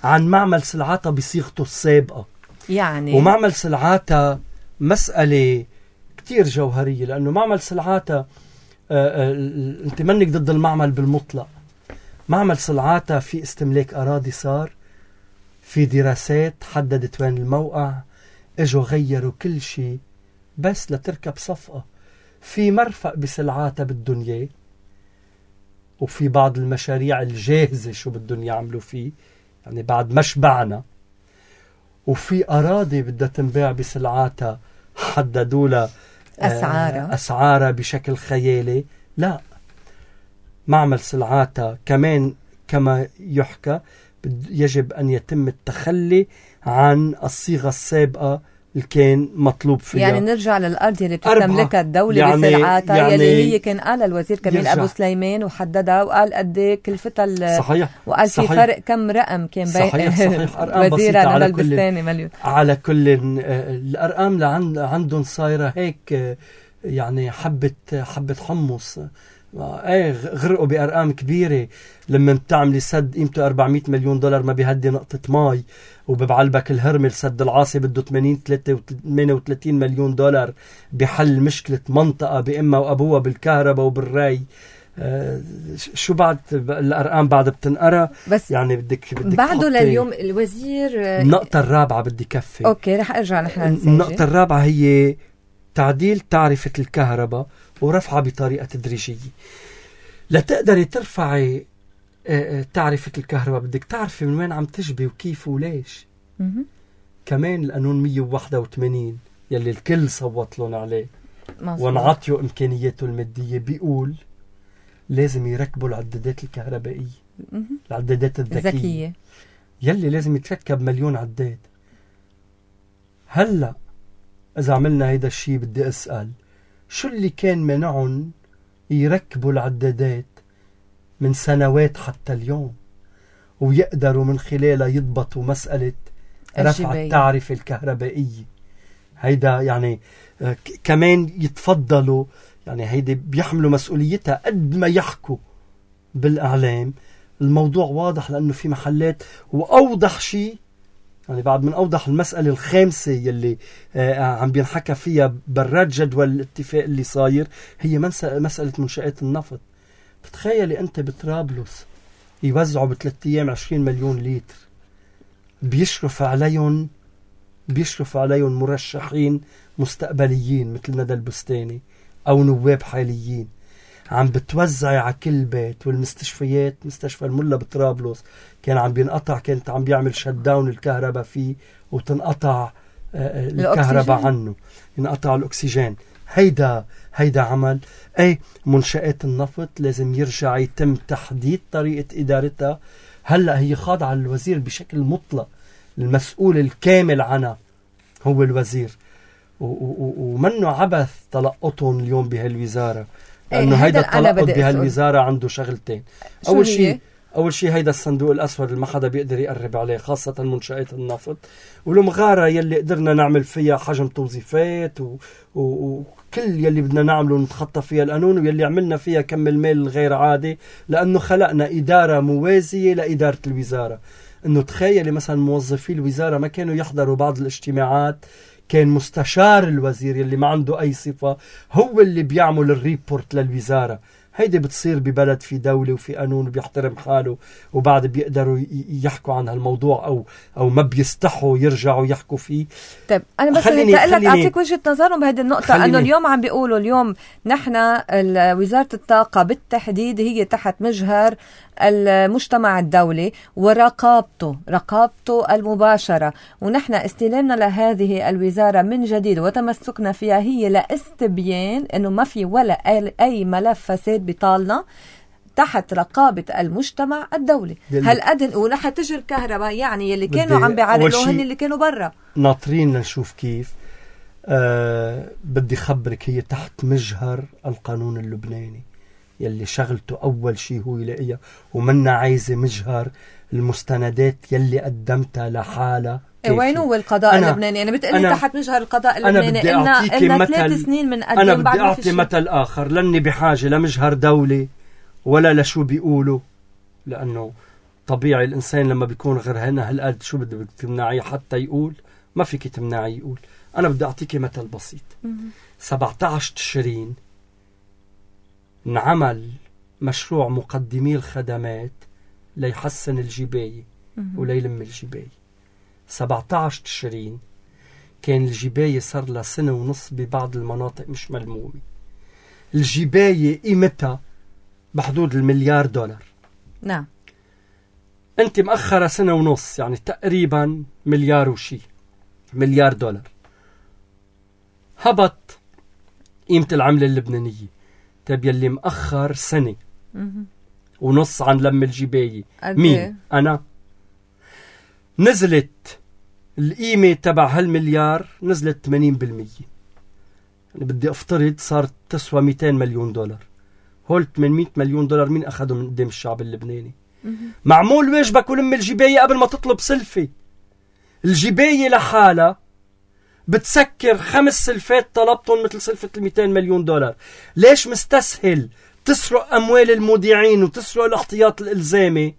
عن معمل سلعاتها بصيغته السابقة. يعني ومعمل سلعاتها مسألة كتير جوهرية، لأنه معمل سلعاتها انت منك ضد المعمل بالمطلق. معمل سلعاتها في استملاك أراضي، صار في دراسات حددت وين الموقع، اجوا غيروا كل شيء بس لتركب صفقة. في مرفق بسلعاتها بالدنيا، وفي بعض المشاريع الجاهزة شو بدهم يعملوا فيه يعني بعد ما شبعنا، وفي أراضي بدها تنباع بسلعاتها حددوا لها أسعارها بشكل خيالي. لا، معمل سلعاتها كمان كما يحكى يجب أن يتم التخلي عن الصيغة السابقة اللي كان مطلوب فيها. يعني نرجع للأرض اللي بتستملكها الدولة بسلعاتها، يلي هي كان قال الوزير كمال أبو سليمان وحددها وقال قد كلفتها. صحيح. وقال في فرق كم رقم كان بين وزيرة لما البستاني مليون. على كل الأرقام اللي عندهم صايرة هيك يعني حبة حمص. غرقوا بأرقام كبيرة. لما بتعملي سد قيمته 400 مليون دولار ما بيهدي نقطة ماي، وببعلبك الهرمل سد العاصي بده 38 مليون دولار بحل مشكلة منطقة بإمها وأبوها بالكهرباء وبالري. شو بعد الأرقام بعد بتنقرأ؟ بس يعني بدك بعده لليوم الوزير. النقطة الرابعة بدي كفي. أوكي رح أرجع نحن النقطة الرابعة هي تعديل تعرفة الكهرباء ورفعها بطريقة تدريجية. لتقدري ترفعي تعرفة الكهرباء بدك تعرفي من وين عم تجبي وكيف وليش. كمان القانون 181 يلي الكل صوت لهم عليه ونعطيه إمكانياته المادية بيقول لازم يركبوا العدادات الكهربائية، العدادات الذكية يلي لازم يتركب 1,000,000 عداد. هلأ إذا عملنا هيدا الشيء بدي أسأل شو اللي كان منعهم يركبوا العدادات من سنوات حتى اليوم ويقدروا من خلالها يضبطوا مسألة رفع التعرفة الكهربائية. هيدا يعني كمان يتفضلوا، يعني هيدي بيحملوا مسؤوليتها قد ما يحكوا بالإعلام. الموضوع واضح لأنه في محلات، وأوضح شيء يعني بعد من أوضح المسألة الخامسة يلي عم بينحكى فيها برات جدول الاتفاق اللي صاير، هي مسألة منشآت النفط. بتخيلي أنت بطرابلس يوزعوا ب3 أيام 20 مليون لتر، بيشرف عليهم مرشحين مستقبليين مثل ندى البستاني أو نواب حاليين، عم بتوزع على كل بيت. والمستشفيات، مستشفى الملا بطرابلس كان عم بينقطع، كانت عم بيعمل شت داون الكهرباء فيه وتنقطع الكهرباء عنه، ينقطع الأكسجين. هيدا عمل. أي منشآت النفط لازم يرجع يتم تحديد طريقة إدارتها. هلأ هي خاضعة للوزير بشكل مطلق، المسؤول الكامل عنها هو الوزير، ومنه عبث تلقطهم اليوم بهالوزارة، لأنه هيدا التلقط بهالوزارة عنده شغلتين. أول شيء هيدا الصندوق الأسود اللي ما حدا بيقدر يقرب عليه، خاصة منشآت النفط، والمغارة يلي قدرنا نعمل فيها حجم توظيفات وكل يلي بدنا نعمله نتخطى فيها القانون، ويلي عملنا فيها كم المال الغير عادي، لأنه خلقنا إدارة موازية لإدارة الوزارة. إنه تخيلي مثلا موظفي الوزارة ما كانوا يحضروا بعض الاجتماعات، كان مستشار الوزير يلي ما عنده أي صفة هو اللي بيعمل الريبورت للوزارة. هيدي بتصير ببلد في دولة وفي قانون وبيحترم حاله، وبعد بيقدروا يحكوا عن هالموضوع أو ما بيستحوا يرجعوا يحكوا فيه. طيب أنا بس بدي أعطيك وجهة نظرهم بهذه النقطة، أنه اليوم عم بيقولوا اليوم نحن وزارة الطاقة بالتحديد هي تحت مجهر المجتمع الدولي ورقابته المباشرة، ونحن استلامنا لهذه الوزارة من جديد وتمسكنا فيها هي لاستبيان أنه ما في ولا أي ملف فساد بطالنا تحت رقابة المجتمع الدولي. هل أدن ورح تجي الكهرباء يعني اللي كانوا عم بيعرضوا هن اللي كانوا برا ناطرين لنشوف كيف. بدي خبرك هي تحت مجهر القانون اللبناني يلي شغلته أول شيء هو يلاقيها، ومنا عايزة مجهر المستندات يلي قدمتها لحالة. وين هو القضاء اللبناني؟ أنا بتقلي تحت مجهر القضاء اللبناني إلنا 3 سنين من قدم. أنا بدي أعطي مثل آخر، لاني بحاجة لمجهر دولي ولا لشو بيقولوا، لأنه طبيعي الإنسان لما بيكون غير هنا هالقد شو بدك تمنعيه حتى يقول؟ ما فيك تمنعيه يقول. أنا بدي أعطيك مثل بسيط. 17 تشرين نعمل مشروع مقدمي الخدمات ليحسن الجباية وليلم الجباية. 17 تشرين كان الجباية صار لها 1.5 سنة ببعض المناطق مش ملمومة. الجباية قيمتها بحدود $1 مليار. نعم. انت مأخرة 1.5 سنة، يعني تقريبا مليار وشي، $1 مليار. هبط قيمة العملة اللبنانية. طيب يلي مأخر 1.5 سنة عن لم الجباية مين؟ أنا. نزلت القيمة تبع هالمليار، نزلت 80%. يعني بدي أفترض صارت تسوى $200 مليون. هول $800 مليون مين أخذوا من قدام الشعب اللبناني؟ معمول واجبك ولم الجباية قبل ما تطلب سلفة. الجباية لحالها بتسكر 5 سلفات طلبتهم مثل سلفة $200 مليون. ليش مستسهل تسرق أموال المودعين وتسرق الاحتياط الإلزامي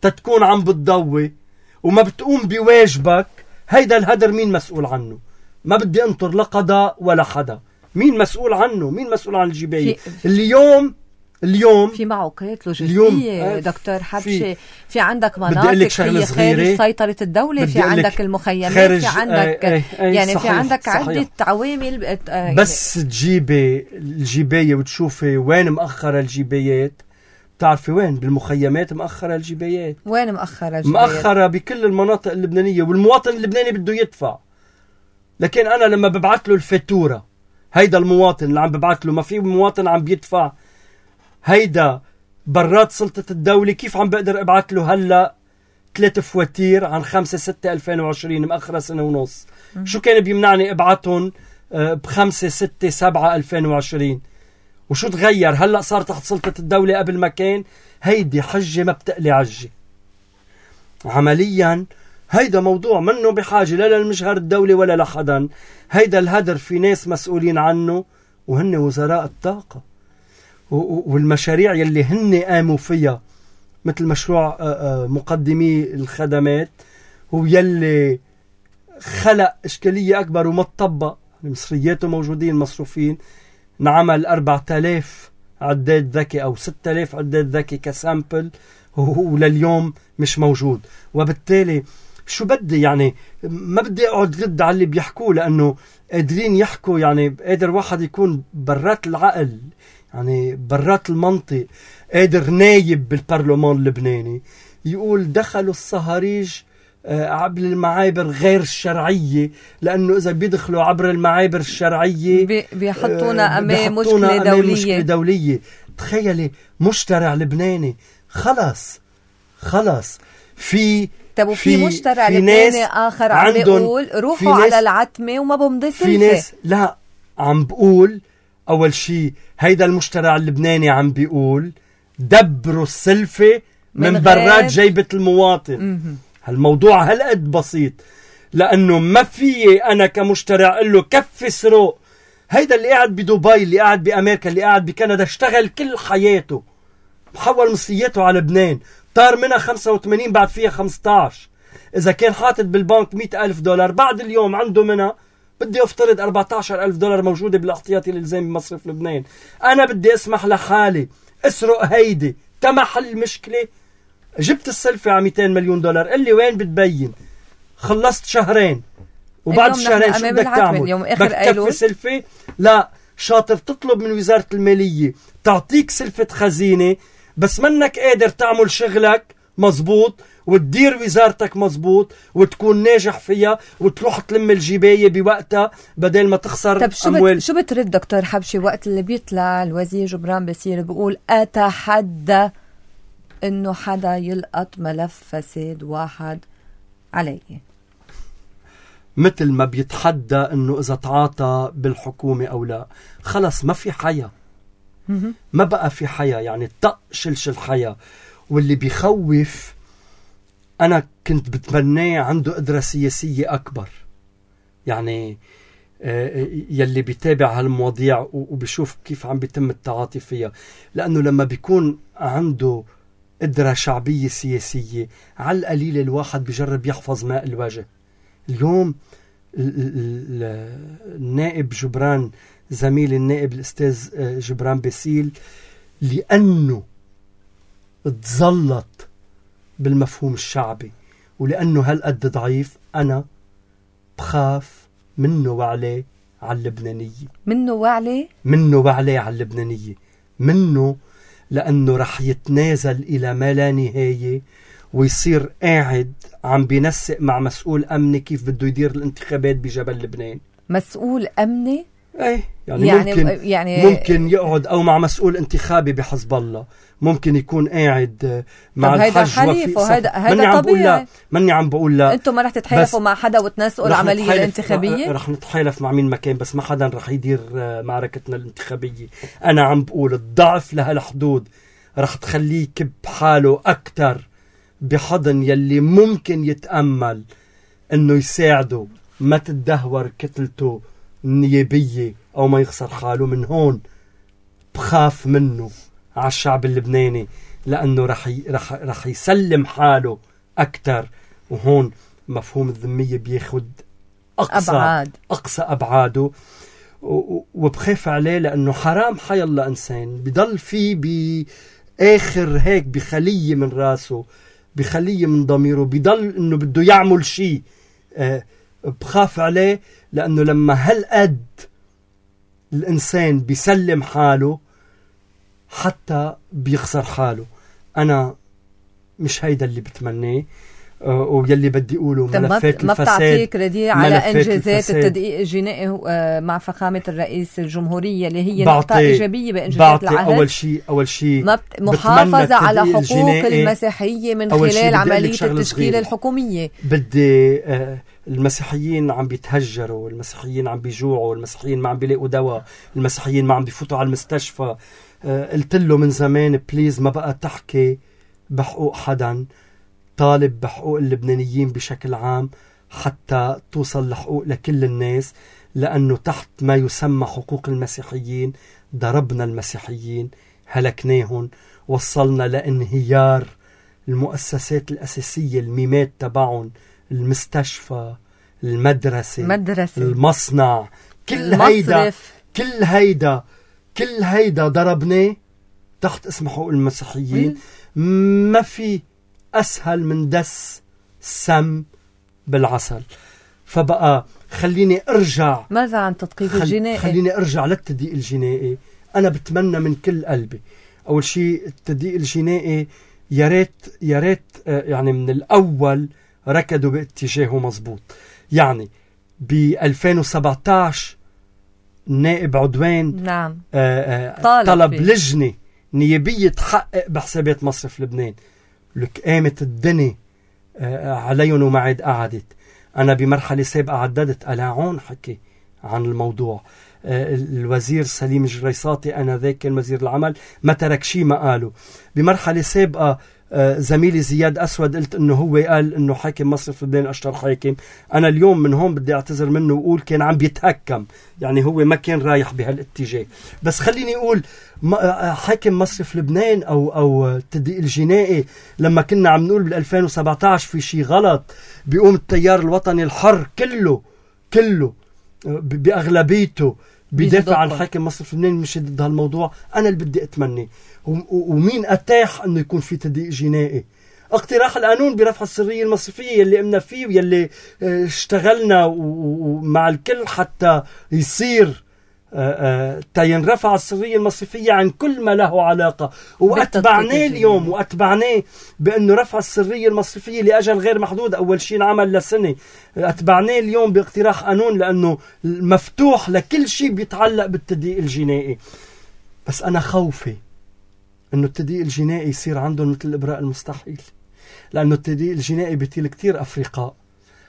تتكون عم بتضوي وما بتقوم بواجبك؟ هيدا الهدر مين مسؤول عنه؟ ما بدي انطر لا قضاء ولا حدا. مين مسؤول عنه؟ مين مسؤول عن الجباية؟ اليوم في معوقات لوجستية دكتور حبشي. في عندك مناطق هي خارج سيطرة الدولة، في عندك المخيمات، في عندك يعني صحيح، في عندك صحيح. عدة عوامل بس تجيبي الجباية وتشوفي وين مأخرة الجبايات. بتعرفي وين؟ بالمخيمات مأخرة الجبايات. وين مأخرة الجبايات؟ مأخرة بكل المناطق اللبنانية، والمواطن اللبناني بده يدفع. لكن أنا لما ببعت له الفاتورة، هيدا المواطن اللي عم ببعت له، ما في مواطن عم بيدفع. هيدا برات سلطة الدولة. كيف عم بقدر ابعت له هلأ 3 فواتير عن 5/6/2020 مأخرة 1.5 سنة؟ شو كان بيمنعني ابعتهم ب5/6/7/2020؟ وشو تغير؟ هلأ صار تحت سلطة الدولة قبل ما كان. هيدي حجة ما بتقلي عجة. عمليا هيدا موضوع منه بحاجة لا للمجهر الدولي ولا لحدا. هيدا الهدر في ناس مسؤولين عنه وهن وزراء الطاقة والمشاريع يلي هن قاموا فيها مثل مشروع مقدمي الخدمات هو يلي خلق إشكالية أكبر وما تطبق. مصرياته موجودين مصروفين، نعمل 4000 عداد ذكي أو 6000 عداد ذكي كسامبل ولليوم مش موجود. وبالتالي شو بدي يعني ما بدي أقعد رد على اللي بيحكوه لأنه قادرين يحكوا، يعني قادر واحد يكون برات العقل يعني برات المنطق، قادر نايب بالبرلمان اللبناني يقول دخلوا الصهاريج عبر المعابر غير الشرعية، لأنه إذا بيدخلوا عبر المعابر الشرعية بيحطونا أمام مشكلة دولية. تخيلي مشترع لبناني خلص في مشترع لبناني آخر عم بيقول روحوا على العتمة وما بمضي سلفة. في ناس لا عم بقول أول شيء هيدا المشترع اللبناني عم بيقول دبروا السلفة من برات جيبة المواطن. هالموضوع هالقد بسيط، لأنه ما في أنا كمشترع أقول له كفي سروق. هيدا اللي قاعد بدبي، اللي قاعد بأمريكا، اللي قاعد بكندا، اشتغل كل حياته، محول مصرياته على لبنان، طار منها 85 بعد فيها 15. إذا كان حاطط بالبنك $100,000 بعد اليوم عنده منها بدي أفترض $14,000 موجودة بالاحتياطي الإلزامي بمصرف لبنان. أنا بدي أسمح لحالي أسرق هيدي تمحل المشكلة. جبت السلفة على $200 مليون، اللي وين بتبين؟ خلصت شهرين وبعد الشهرين شو بدك تعمل؟ بدك تكفي سلفة؟ لا، شاطر تطلب من وزارة المالية تعطيك سلفة خزينة بس منك قادر تعمل شغلك مزبوط وتدير وزارتك مزبوط وتكون ناجح فيها وتروح تلم الجباية بوقتها بدل ما تخسر أموال. شو بترد دكتور حبشي وقت اللي بيطلع الوزير جبران باسيل بيقول أتحدى إنه حدا يلقط ملف فساد واحد عليه؟ مثل ما بيتحدى إنه إذا تعاطى بالحكومة أو لا، خلص ما في حياة، ما بقى في حياة، يعني طق شلش الحياة. واللي بيخوف أنا كنت بتمناه عنده قدرة سياسية أكبر، يعني يلي بيتابع هالمواضيع وبيشوف كيف عم بيتم التعاطي فيها، لأنه لما بيكون عنده قدرة شعبية سياسية على القليل الواحد بيجرب يحفظ ماء الوجه. اليوم النائب جبران، زميل النائب الأستاذ جبران باسيل، لأنه تزلط بالمفهوم الشعبي ولأنه هالقد ضعيف، أنا بخاف منه وعليه على اللبنانية. منه وعليه على اللبنانية، منه لأنه رح يتنازل إلى ما لا نهاية ويصير قاعد عم بينسق مع مسؤول أمني كيف بده يدير الانتخابات بجبل لبنان. مسؤول أمني؟ ايه يعني ممكن يقعد او مع مسؤول انتخابي بحزب الله، ممكن يكون قاعد مع الحج هيدا طبيعي. ماني عم بقول لا انتم ما رح تتحالفوا مع حدا وتنسقوا العمليه الانتخابيه؟ رح نتحالف مع مين مكان، بس ما حدا رح يدير معركتنا الانتخابيه. انا عم بقول الضعف لهالحدود رح تخليه كب حاله اكتر بحضن يلي ممكن يتامل انه يساعده ما تدهور كتلته النيابية أو ما يخسر حاله. من هون بخاف منه على الشعب اللبناني، لأنه رح يسلم حاله أكتر، وهون مفهوم الذمية بياخد أقصى أبعاده. وبخاف عليه لأنه حرام حي الله إنسان بيضل فيه بآخر هيك بخلية من راسه، بخلية من ضميره، بيضل إنه بده يعمل شيء. بخاف عليه لأنه لما هالقد الإنسان بيسلم حاله حتى بيخسر حاله. أنا مش هيدا اللي بتمناه، ويلي بدي أقوله ملفات ما بتعطيك رديء على إنجازات التدقيق الجنائي مع فخامة الرئيس الجمهورية اللي هي نقطة إيجابية بإنجازات العهد. أول شيء محافظة على حقوق المسيحية من خلال عملية التشكيل الحكومية. بدي المسيحيين عم بيتهجروا، المسيحيين عم بيجوعوا، المسيحيين ما عم بيلاقوا دواء، المسيحيين ما عم بيفوتوا على المستشفى. قلت له من زمان بليز ما بقى تحكي بحقوق حدا، طالب بحقوق اللبنانيين بشكل عام حتى توصل لحقوق لكل الناس، لأنه تحت ما يسمى حقوق المسيحيين ضربنا المسيحيين، هلكناهم، وصلنا لانهيار المؤسسات الأساسية، الميمات تبعهم، المستشفى، المدرسة، المصنع، كل هيدا ضربناه تحت اسم حقوق المسيحيين. ما في أسهل من دس سم بالعسل. فبقى خليني أرجع، ماذا عن تدقيق الجنائي؟ خليني أرجع للتدقيق الجنائي. أنا بتمنى من كل قلبي أول شيء التدقيق الجنائي يا ريت يعني من الأول ركضوا باتجاهه مزبوط. يعني ب 2017 النائب عدوان نعم طلب لجنة نيابية تحقق بحسابات مصرف لبنان. لك قامت الدنيا عليهم وما عاد قعدت. أنا بمرحلة سابقة عددت ألاعون حكي عن الموضوع. الوزير سليم الجريساطي أنا ذاك كان وزير العمل ما ترك شيء ما قاله. بمرحلة سابقة زميلي زياد أسود قلت إنه هو قال إنه حاكم مصرف لبنان أشطر حاكم. أنا اليوم من هون بدي أعتذر منه وأقول كان عم بيتهكم، يعني هو ما كان رايح بهالاتجاه. بس خليني أقول حاكم مصرف لبنان أو التدقيق الجنائي لما كنا عم نقول بال 2017 في شيء غلط بيقوم التيار الوطني الحر كله بأغلبيته بيدافع عن حاكم مصرف لبنان مش ضد هالموضوع. أنا اللي بدي أتمنى ومين أتاح أنه يكون في تدقيق جنائي؟ اقتراح القانون برفع السرية المصرفية اللي قمنا فيه واللي اشتغلنا ومع الكل حتى يصير ينرفع السرية المصرفية عن كل ما له علاقة. وأتبعناه اليوم وأتبعناه بأنه رفع السرية المصرفية لأجل غير محدود أول شيء عمل لسنة. أتبعناه اليوم باقتراح قانون لأنه مفتوح لكل شيء بيتعلق بالتدقيق الجنائي. بس أنا خوفي أنه التدقيق الجنائي يصير عندهم مثل الإبراء المستحيل، لأنه التدقيق الجنائي بيطيل كتير أفرقاء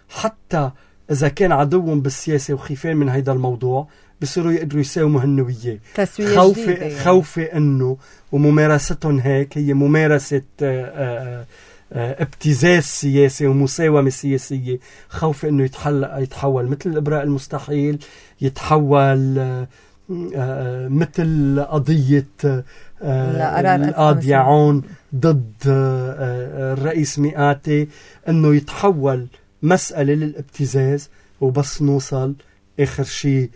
حتى إذا كان عدوهم بالسياسة وخيفين من هيدا الموضوع بصيروا يقدروا يساوموا هالنوية. خوفي أنه وممارستهم هيك هي ممارسة ابتزاز سياسي ومساومة سياسية. خوفي أنه يتحول مثل الإبراء المستحيل، يتحول مثل قضية القاضي عون ضد الرئيس مئاتي، أنه يتحول مسألة للابتزاز وبس نوصل آخر شيء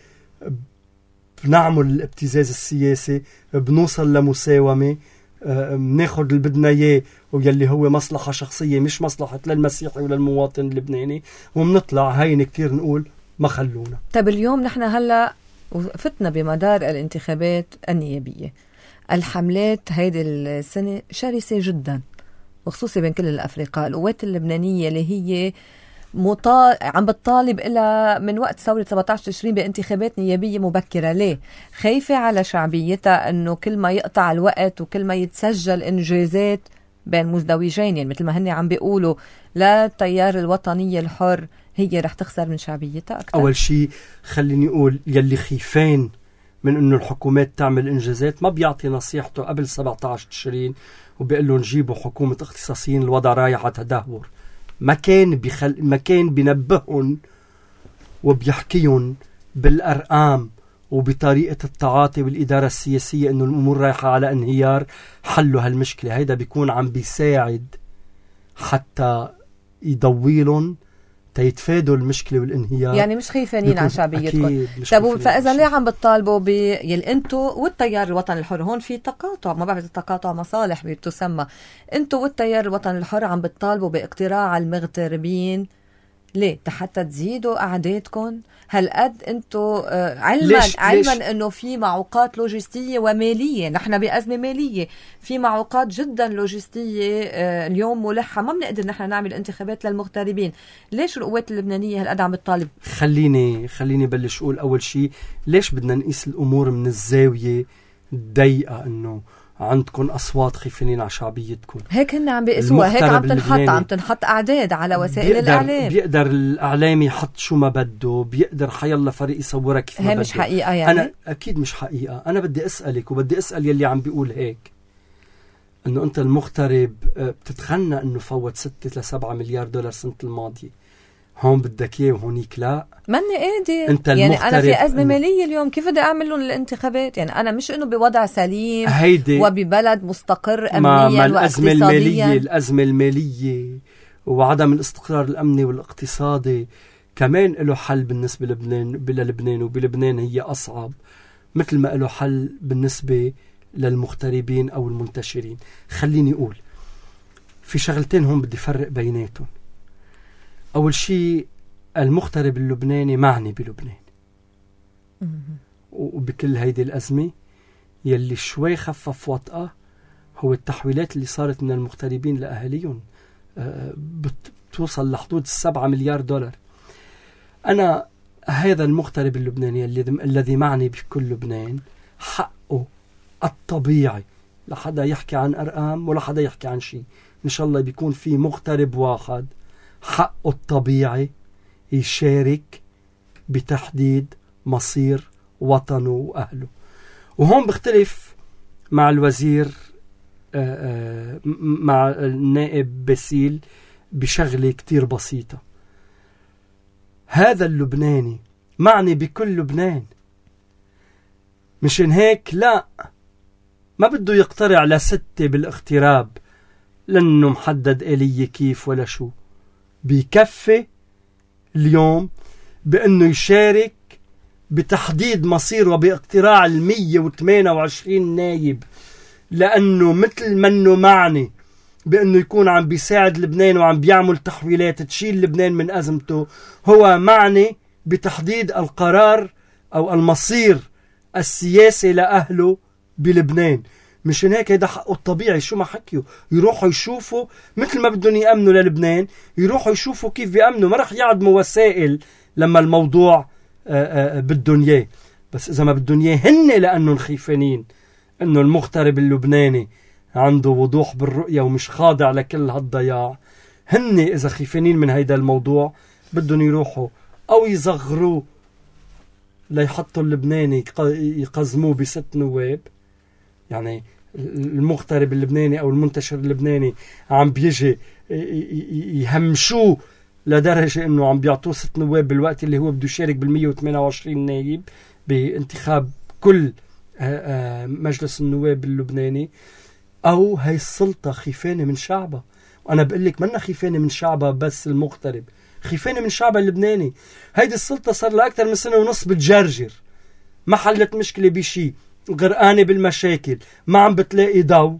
بنعمل الابتزاز السياسي بنوصل لمساومة بناخد اللي بدنا اياه ويلي هو مصلحة شخصية مش مصلحة للمسيحي ولا المواطن اللبناني وبنطلع هين كتير نقول ما خلونا. طب اليوم نحن هلأ فتنا بمدار الانتخابات النيابية. الحملات هيدي السنة شرسة جدا وخصوصي بين كل الأفرقاء. القوات اللبنانية اللي هي عم بتطالب إلى من وقت ثورة 17 تشرين بانتخابات نيابية مبكرة. ليه؟ خايفة على شعبيتها أنه كل ما يقطع الوقت وكل ما يتسجل إنجازات بين مزدوجين، يعني مثل ما هن عم بيقولوا لا التيار الوطني الحر، هي رح تخسر من شعبيتها أكثر. أول شيء خليني أقول يلي خيفين من أنه الحكومات تعمل إنجازات ما بيعطي نصيحته قبل 17 تشرين وبيقول له نجيبوا حكومة اختصاصيين الوضع رايح على تدهور. ما كان بينبهن وبيحكيهم بالأرقام وبطريقة التعاطي والإدارة السياسية إنه الأمور رايحة على انهيار. حلوا هالمشكلة هيدا بيكون عم بيساعد حتى يضويلهم تيتفادوا المشكلة والانهيار. يعني مش خايفين على شعبيتكم. طب فإذا ليه عم بتطالبوا يلي انتوا والتيار الوطني الحر؟ هون في تقاطع، ما بعرف تقاطع مصالح بتسمى. انتوا والتيار الوطني الحر عم بتطالبوا باقتراع المغتربين. ليه؟ حتى تزيدوا أعدادكم؟ هالقد انتوا علما انه في معوقات لوجستية ومالية، نحن بأزمة مالية، في معوقات جدا لوجستية اليوم ملحة، ما بنقدر نحن نعمل انتخابات للمغتربين. ليش القوات اللبنانية هالقد عم بتطالب؟ خليني بلش اقول اول شيء ليش بدنا نقيس الامور من الزاوية الضيقة انه عندكم أصوات خيفانين على شعبيتكم. هيك هن عم بيقسوها، هيك عم تنحط أعداد على وسائل الإعلام. بيقدر الإعلام يحط شو ما بده، بيقدر حيالله فريق يصورها كيف ما بده. هي مش حقيقة يعني؟ أنا أكيد مش حقيقة. أنا بدي أسألك وبدي أسأل يلي عم بيقول هيك. انه انت المغترب بتتخنى انه فوت 6 ل 7 مليار دولار سنة الماضية، هون بدك اياه وهونيك لا، ماني قادر. انت يعني انا في ازمة مالية اليوم، كيف بدي اعمل لهم الانتخابات؟ يعني انا مش انه بوضع سليم وببلد مستقر امنيا واقتصاديا. الازمة المالية وعدم الاستقرار الامني والاقتصادي كمان له حل بالنسبة للبنان، وبلبنان هي اصعب، مثل ما له حل بالنسبة للمغتربين أو المنتشرين. خليني أقول في شغلتين هون بدي فرق بيناتهم. أول شيء المغترب اللبناني معني بلبنان وبكل هيدي الأزمة. يلي شوي خفف وطأة هو التحويلات اللي صارت من المغتربين لأهاليهم، بتوصل لحدود 7 مليار دولار. أنا هذا المغترب اللبناني الذي معني بكل لبنان حقه الطبيعي، لا حدا يحكي عن أرقام ولا حدا يحكي عن شيء، إن شاء الله بيكون في مغترب واحد حقه الطبيعي يشارك بتحديد مصير وطنه وأهله. وهون بختلف مع الوزير مع النائب باسيل بشغلة كتير بسيطة. هذا اللبناني معني بكل لبنان، مشان هيك لا ما بده يقترع لستة بالاغتراب لأنه محدد آلية كيف ولا شو. بيكفي اليوم بأنه يشارك بتحديد مصير وباقتراع 128 نايب، لأنه مثل منه معني بأنه يكون عم بيساعد لبنان وعم بيعمل تحويلات تشيل لبنان من أزمته، هو معني بتحديد القرار أو المصير السياسي لأهله بلبنان. مشان هيك هيدا حقه الطبيعي. شو ما حكيوا يروحوا يشوفوا مثل ما بدهم يأمنوا للبنان، يروحوا يشوفوا كيف بيأمنوا. ما رح يعدموا وسائل لما الموضوع بدهم اياه، بس إذا ما بدهم اياه هن لأنهم خيفانين إنه المغترب اللبناني عنده وضوح بالرؤية ومش خاضع لكل هالضياع، هن إذا خيفانين من هيدا الموضوع بدهم يروحوا أو يصغروه ليحطوا اللبناني يقزموه ب6 نواب. يعني المغترب اللبناني أو المنتشر اللبناني عم بيجي يهمشوه لدرجة إنه عم بيعطوه 6 نواب بالوقت اللي هو بده يشارك بال128 نايب بانتخاب كل مجلس النواب اللبناني. أو هاي السلطة خيفانة من شعبها. وأنا بقول لك منا خيفانة من شعبها بس المغترب، خيفانة من شعبها اللبناني. هيدي السلطة صار لها أكثر من سنة ونص بتجرجر، ما حلت مشكلة بشي، غرقانة بالمشاكل، ما عم بتلاقي ضو.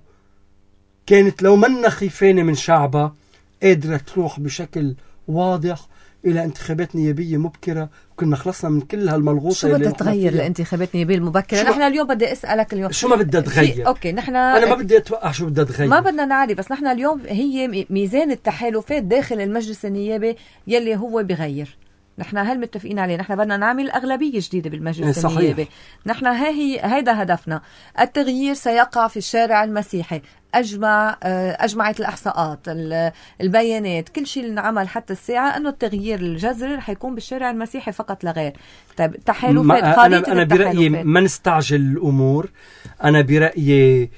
كانت لو منا خيفانة من شعبها قادرة تروح بشكل واضح إلى انتخابات نيابية مبكرة، وكنا خلصنا من كل هالملغوطة. شو بدها تغير لانتخابات نيابية المبكرة؟ نحن اليوم بدي أسألك اليوم شو ما بدها تغير. أوكي نحن أنا ما بدي أتوقع شو بدها تغير، ما بدنا نعرف، بس نحن اليوم هي ميزان التحالفات داخل المجلس النيابي يلي هو بغير. نحن هل متفقين عليه؟ نحن بدنا نعمل أغلبية جديدة بالمجلس النيابي. نحن هيدا هدفنا. التغيير سيقع في الشارع المسيحي. أجمعت الإحصاءات، البيانات، كل شيء اللي نعمل حتى الساعة أنه التغيير الجذري رح يكون بالشارع المسيحي فقط لا غير. طيب تحالفات، أنا برأيي ما نستعجل الأمور. أنا برأيي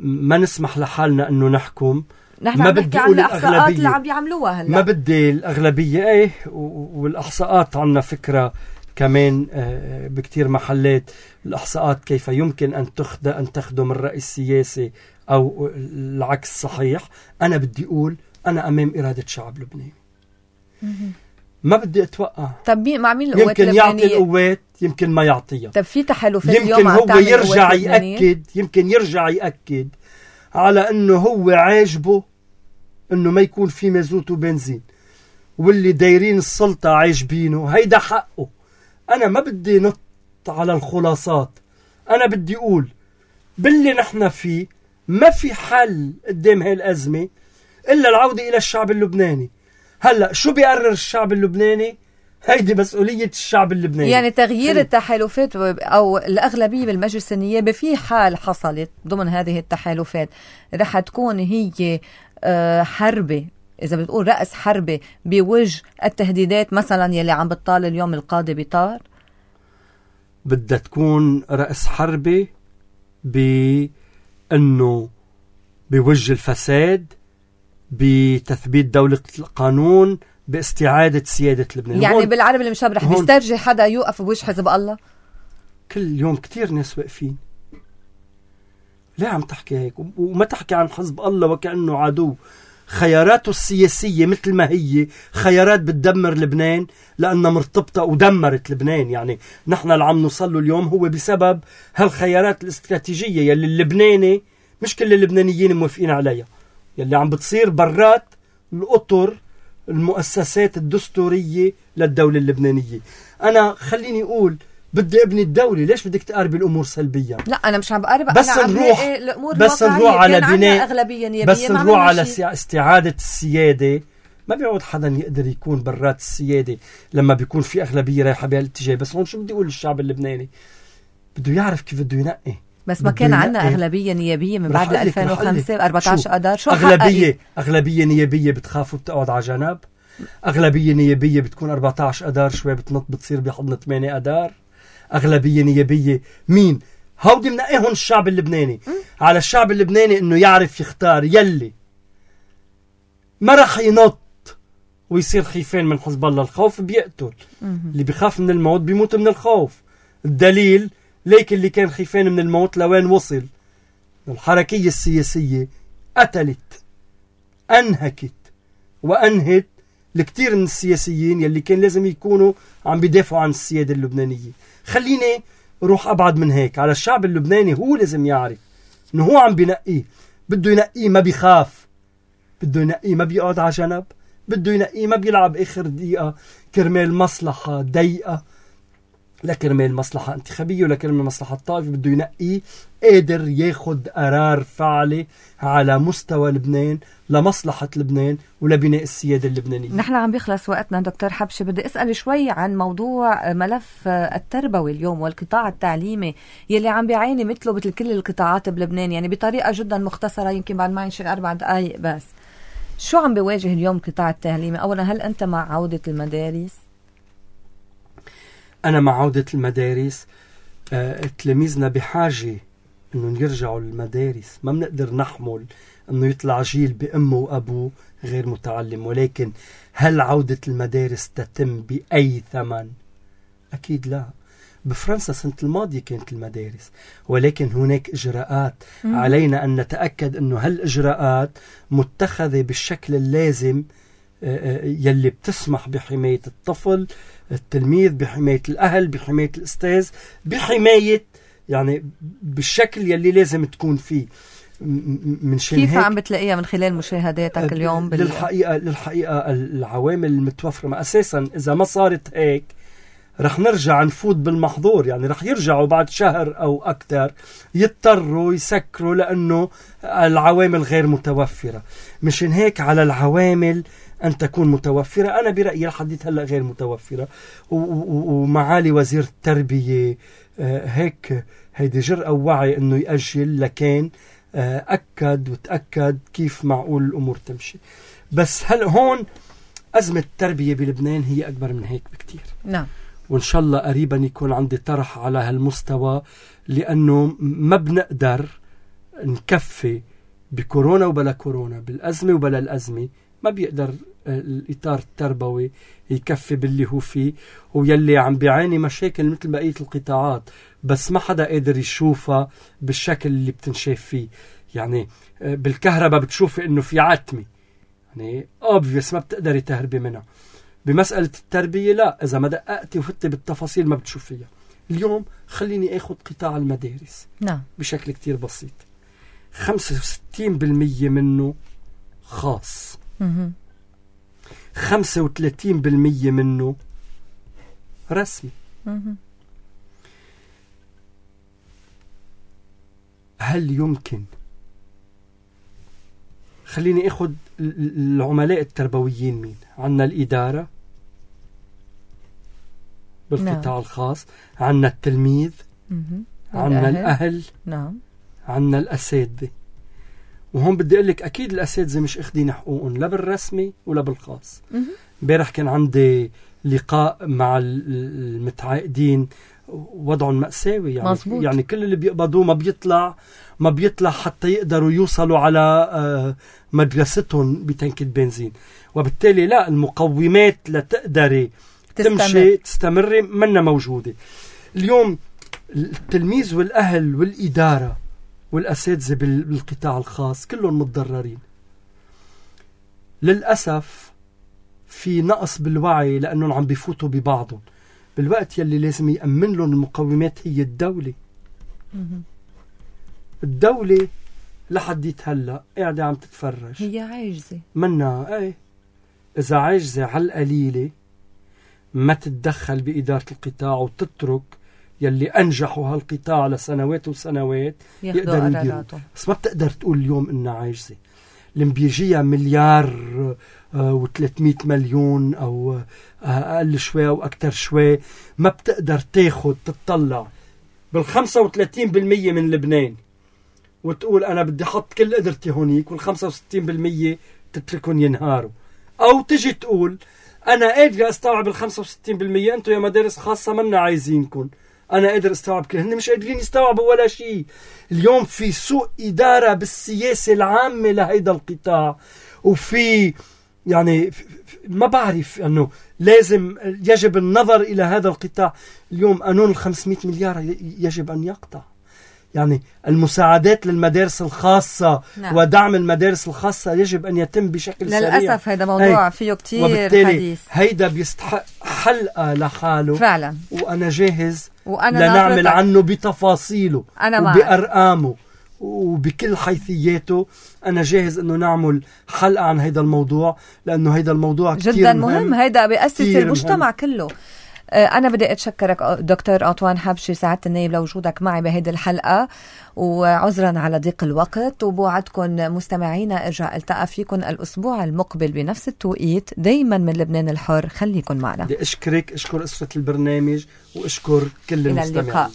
ما نسمح لحالنا أنه نحكم. نحن ما بدي عن الإحصاءات اللي عم بيعملوها هلا، ما بدي الأغلبية. والإحصاءات عنا فكرة كمان بكتير محلات. الإحصاءات كيف يمكن أن تخدم الرأي السياسي أو العكس صحيح. أنا بدي أقول أنا أمام إرادة شعب لبناني، ما بدي أتوقع. طب مع مين القوات يمكن يعطي القوات، يمكن ما يعطيها. طب في تحالفات يمكن هو يرجع يأكد على أنه هو عاجبه أنه ما يكون في مازوت وبنزين، واللي دايرين السلطة عاجبينه. هيدا حقه. أنا ما بدي نط على الخلاصات. أنا بدي أقول باللي نحن فيه ما في حل قدام هاي الأزمة إلا العودة إلى الشعب اللبناني. هلأ شو بيقرر الشعب اللبناني؟ هيدي مسؤولية الشعب اللبناني. يعني تغيير التحالفات أو الأغلبية بالمجلس النيابي في حال حصلت ضمن هذه التحالفات رح تكون هي حربة، إذا بتقول رأس حربة بوجه التهديدات مثلا يلي عم بتطال اليوم القاضي بطار. بدها تكون رأس حربة بأنه بوجه الفساد، بتثبيت دولة القانون، باستعادة سيادة لبنان. يعني بالعربي المشبرح بيسترجي حدا يوقف بوجه حزب الله؟ كل يوم كتير ناس واقفين. ليه عم تحكي هيك؟ وما تحكي عن حزب الله وكأنه عدو. خياراته السياسية مثل ما هي خيارات بتدمر لبنان لأنها مرتبطة ودمرت لبنان. يعني نحن اللي عم نوصله اليوم هو بسبب هالخيارات الاستراتيجية يلي اللبناني مش كل اللبنانيين موافقين عليها، يلي عم بتصير برات الأطر المؤسسات الدستورية للدولة اللبنانية. أنا خليني أقول بدي ابني الدولة، ليش بدك تقاربي الأمور سلبيا؟ لا أنا مش عم بقارب، بس أنا نروح الأمور بس نروح على بناء أغلبية نيابية، بس نروح على استعادة السيادة. ما بيعود حدا يقدر يكون برات السيادة لما بيكون في أغلبية رايحة بهالاتجاه. بس هون شو بدي أقول للشعب اللبناني؟ بده يعرف كيف بده ينقي. بس ما كان عندنا أغلبية نيابية من بعد 2005 14 أدار. شو أغلبية نيابية بتخافوا بتقعد على جنب؟ أغلبية نيابية بتكون 14 أدار شوي بتنط بتصير بحضن 8 أدار. أغلبية نيابية مين؟ هودي منقيهن الشعب اللبناني. على الشعب اللبناني إنه يعرف يختار يلي ما رح ينط ويصير خيفان من حزب الله. الخوف بيقتل. اللي بيخاف من الموت بيموت من الخوف. الدليل ليك اللي كان خيفان من الموت لوين وصل. الحركية السياسية قتلت، أنهكت وأنهت لكتير من السياسيين يلي كان لازم يكونوا عم بيدافعوا عن السيادة اللبنانية. خليني روح أبعد من هيك. على الشعب اللبناني هو لازم يعرف إنه هو عم بينقيه. بده ينقيه ما بيخاف، بده ينقيه ما بيقعد على جنب، بده ينقيه ما بيلعب آخر دقيقة كرمال مصلحة ضيقة، لا كرمال مصلحة انتخابية ولا كرمال مصلحة طائفة. بده ينقيه قادر ياخد قرار فعلي على مستوى لبنان لمصلحة لبنان ولبناء السيادة اللبنانية. نحن عم بيخلص وقتنا دكتور حبشي. بدي أسأل شوي عن موضوع ملف التربوي اليوم والقطاع التعليمي يلي عم بيعاني مثله مثل كل القطاعات بلبنان، يعني بطريقة جدا مختصرة، يمكن بعد ما ينشغل 4 دقايق بس. شو عم بيواجه اليوم القطاع التعليمي؟ أولا هل أنت مع عودة المدارس؟ أنا مع عودة المدارس. تلاميذنا بحاجة إنه يرجعوا للمدارس. ما بنقدر نحمل إنه يطلع جيل بأمه وأبوه غير متعلم. ولكن هل عودة المدارس تتم بأي ثمن؟ أكيد لا. بفرنسا السنة الماضية كانت المدارس، ولكن هناك إجراءات علينا أن نتأكد أنه هالإجراءات متخذة بالشكل اللازم يلي بتسمح بحماية الطفل، التلميذ، بحماية الأهل، بحماية الأستاذ، بحماية يعني بالشكل يلي لازم تكون فيه. من كيف عم بتلاقيها من خلال مشاهداتك اليوم؟ للحقيقة العوامل المتوفرة أساسا إذا ما صارت هيك رح نرجع نفوت بالمحظور. يعني رح يرجعوا بعد شهر أو أكثر يضطروا يسكروا لأنه العوامل غير متوفرة. مشان هيك على العوامل أن تكون متوفرة. أنا برأيي لحديت هلأ غير متوفرة. ومعالي وزير التربية هيك هيدي جرأة ووعي أنه يأجل، لكن أكد وتأكد كيف معقول الأمور تمشي. بس هل هون أزمة التربية بلبنان هي أكبر من هيك بكتير. نعم. وإن شاء الله قريبا يكون عندي طرح على هالمستوى، لأنه ما بنقدر نكفي بكورونا وبلا كورونا، بالأزمة وبلا الأزمة. ما بيقدر الإطار التربوي يكفي باللي هو فيه، ويلي عم بيعاني مشاكل مثل بقية القطاعات، بس ما حدا قادر يشوفها بالشكل اللي بتنشاف فيه. يعني بالكهرباء بتشوفي إنه في عتمة، يعني obvious ما بتقدري تهربي منها. بمسألة التربية لا، إذا ما دققتي وفتي بالتفاصيل ما بتشوفيها. اليوم خليني أخذ قطاع المدارس. نعم. بشكل كتير بسيط. 65% منه خاص، 35% منه رسمي. هل يمكن خليني أخذ العملاء التربويين مين؟ عنا الإدارة بالقطاع نعم. الخاص، عنا التلميذ، عنا الأهل، نعم، عنا الأساتذة. وهون بدي أقول لك أكيد الأساتذة مش أخذين حقوقهم لا بالرسمي ولا بالخاص. امبارح كان عندي لقاء مع المتعاقدين، وضعهم مأساوي يعني. مزبوط. يعني كل اللي بيقبضوه ما بيطلع حتى يقدروا يوصلوا على مدرستهم بتنك البنزين، وبالتالي لا، المقومات لتقدري تستمري منا موجودة. اليوم التلميذ والأهل والإدارة والأساتذة بالقطاع الخاص كلهم متضررين للأسف. في نقص بالوعي لأنهم عم بيفوتوا ببعضهم، بالوقت يلي لازم يأمن لهم المقومات هي الدولة. الدولة لحد هلا قاعدة عم تتفرج، هي عاجزة منا. ايه إذا عاجزة على القليلة ما تتدخل بإدارة القطاع وتترك يلي أنجحوا هالقطاع لسنوات وسنوات يقدروا يديروا. بس ما بتقدر تقول اليوم إنها عاجزة. اللي بيجيها مليار و300 مليون أو أقل شوي أو أكتر شوي، ما بتقدر تطلع بال35% من لبنان وتقول أنا بدي حط كل قدرتي هونيك، وال65% تتركهم ينهاروا. أو تجي تقول أنا قادر أستوعب ال65%، أنتوا يا مدارس خاصة منا عايزينكم، أنا قادر أستوعب كل. هن مش قادرين يستوعبوا ولا شيء. اليوم في سوء إدارة بالسياسة العامة لهيدا القطاع، وفي يعني ما بعرف أنه لازم يجب النظر إلى هذا القطاع. اليوم قانون 500 مليار يجب أن يقطع. يعني المساعدات للمدارس الخاصة ودعم المدارس الخاصة يجب أن يتم بشكل سريع. للأسف هذا موضوع فيه كتير حديث. هيدا بيستحق حلقة لحاله فعلا، وأنا جاهز لنعمل عنه بتفاصيله وبأرقامه وبكل حيثياته. أنا جاهز أنه نعمل حلقة عن هيدا الموضوع، لأنه هيدا الموضوع جدا مهم. هيدا بيأسس المجتمع كله. أنا بدي أتشكرك دكتور أنطوان حبشي سعادة النائب لوجودك معي بهيدي الحلقة، وعذرا على ضيق الوقت، وبوعدكم مستمعينا ارجع التقى فيكم الأسبوع المقبل بنفس التوقيت دايما من لبنان الحر. خليكن معنا. بدي أشكر أسرة البرنامج وأشكر كل المستمعين.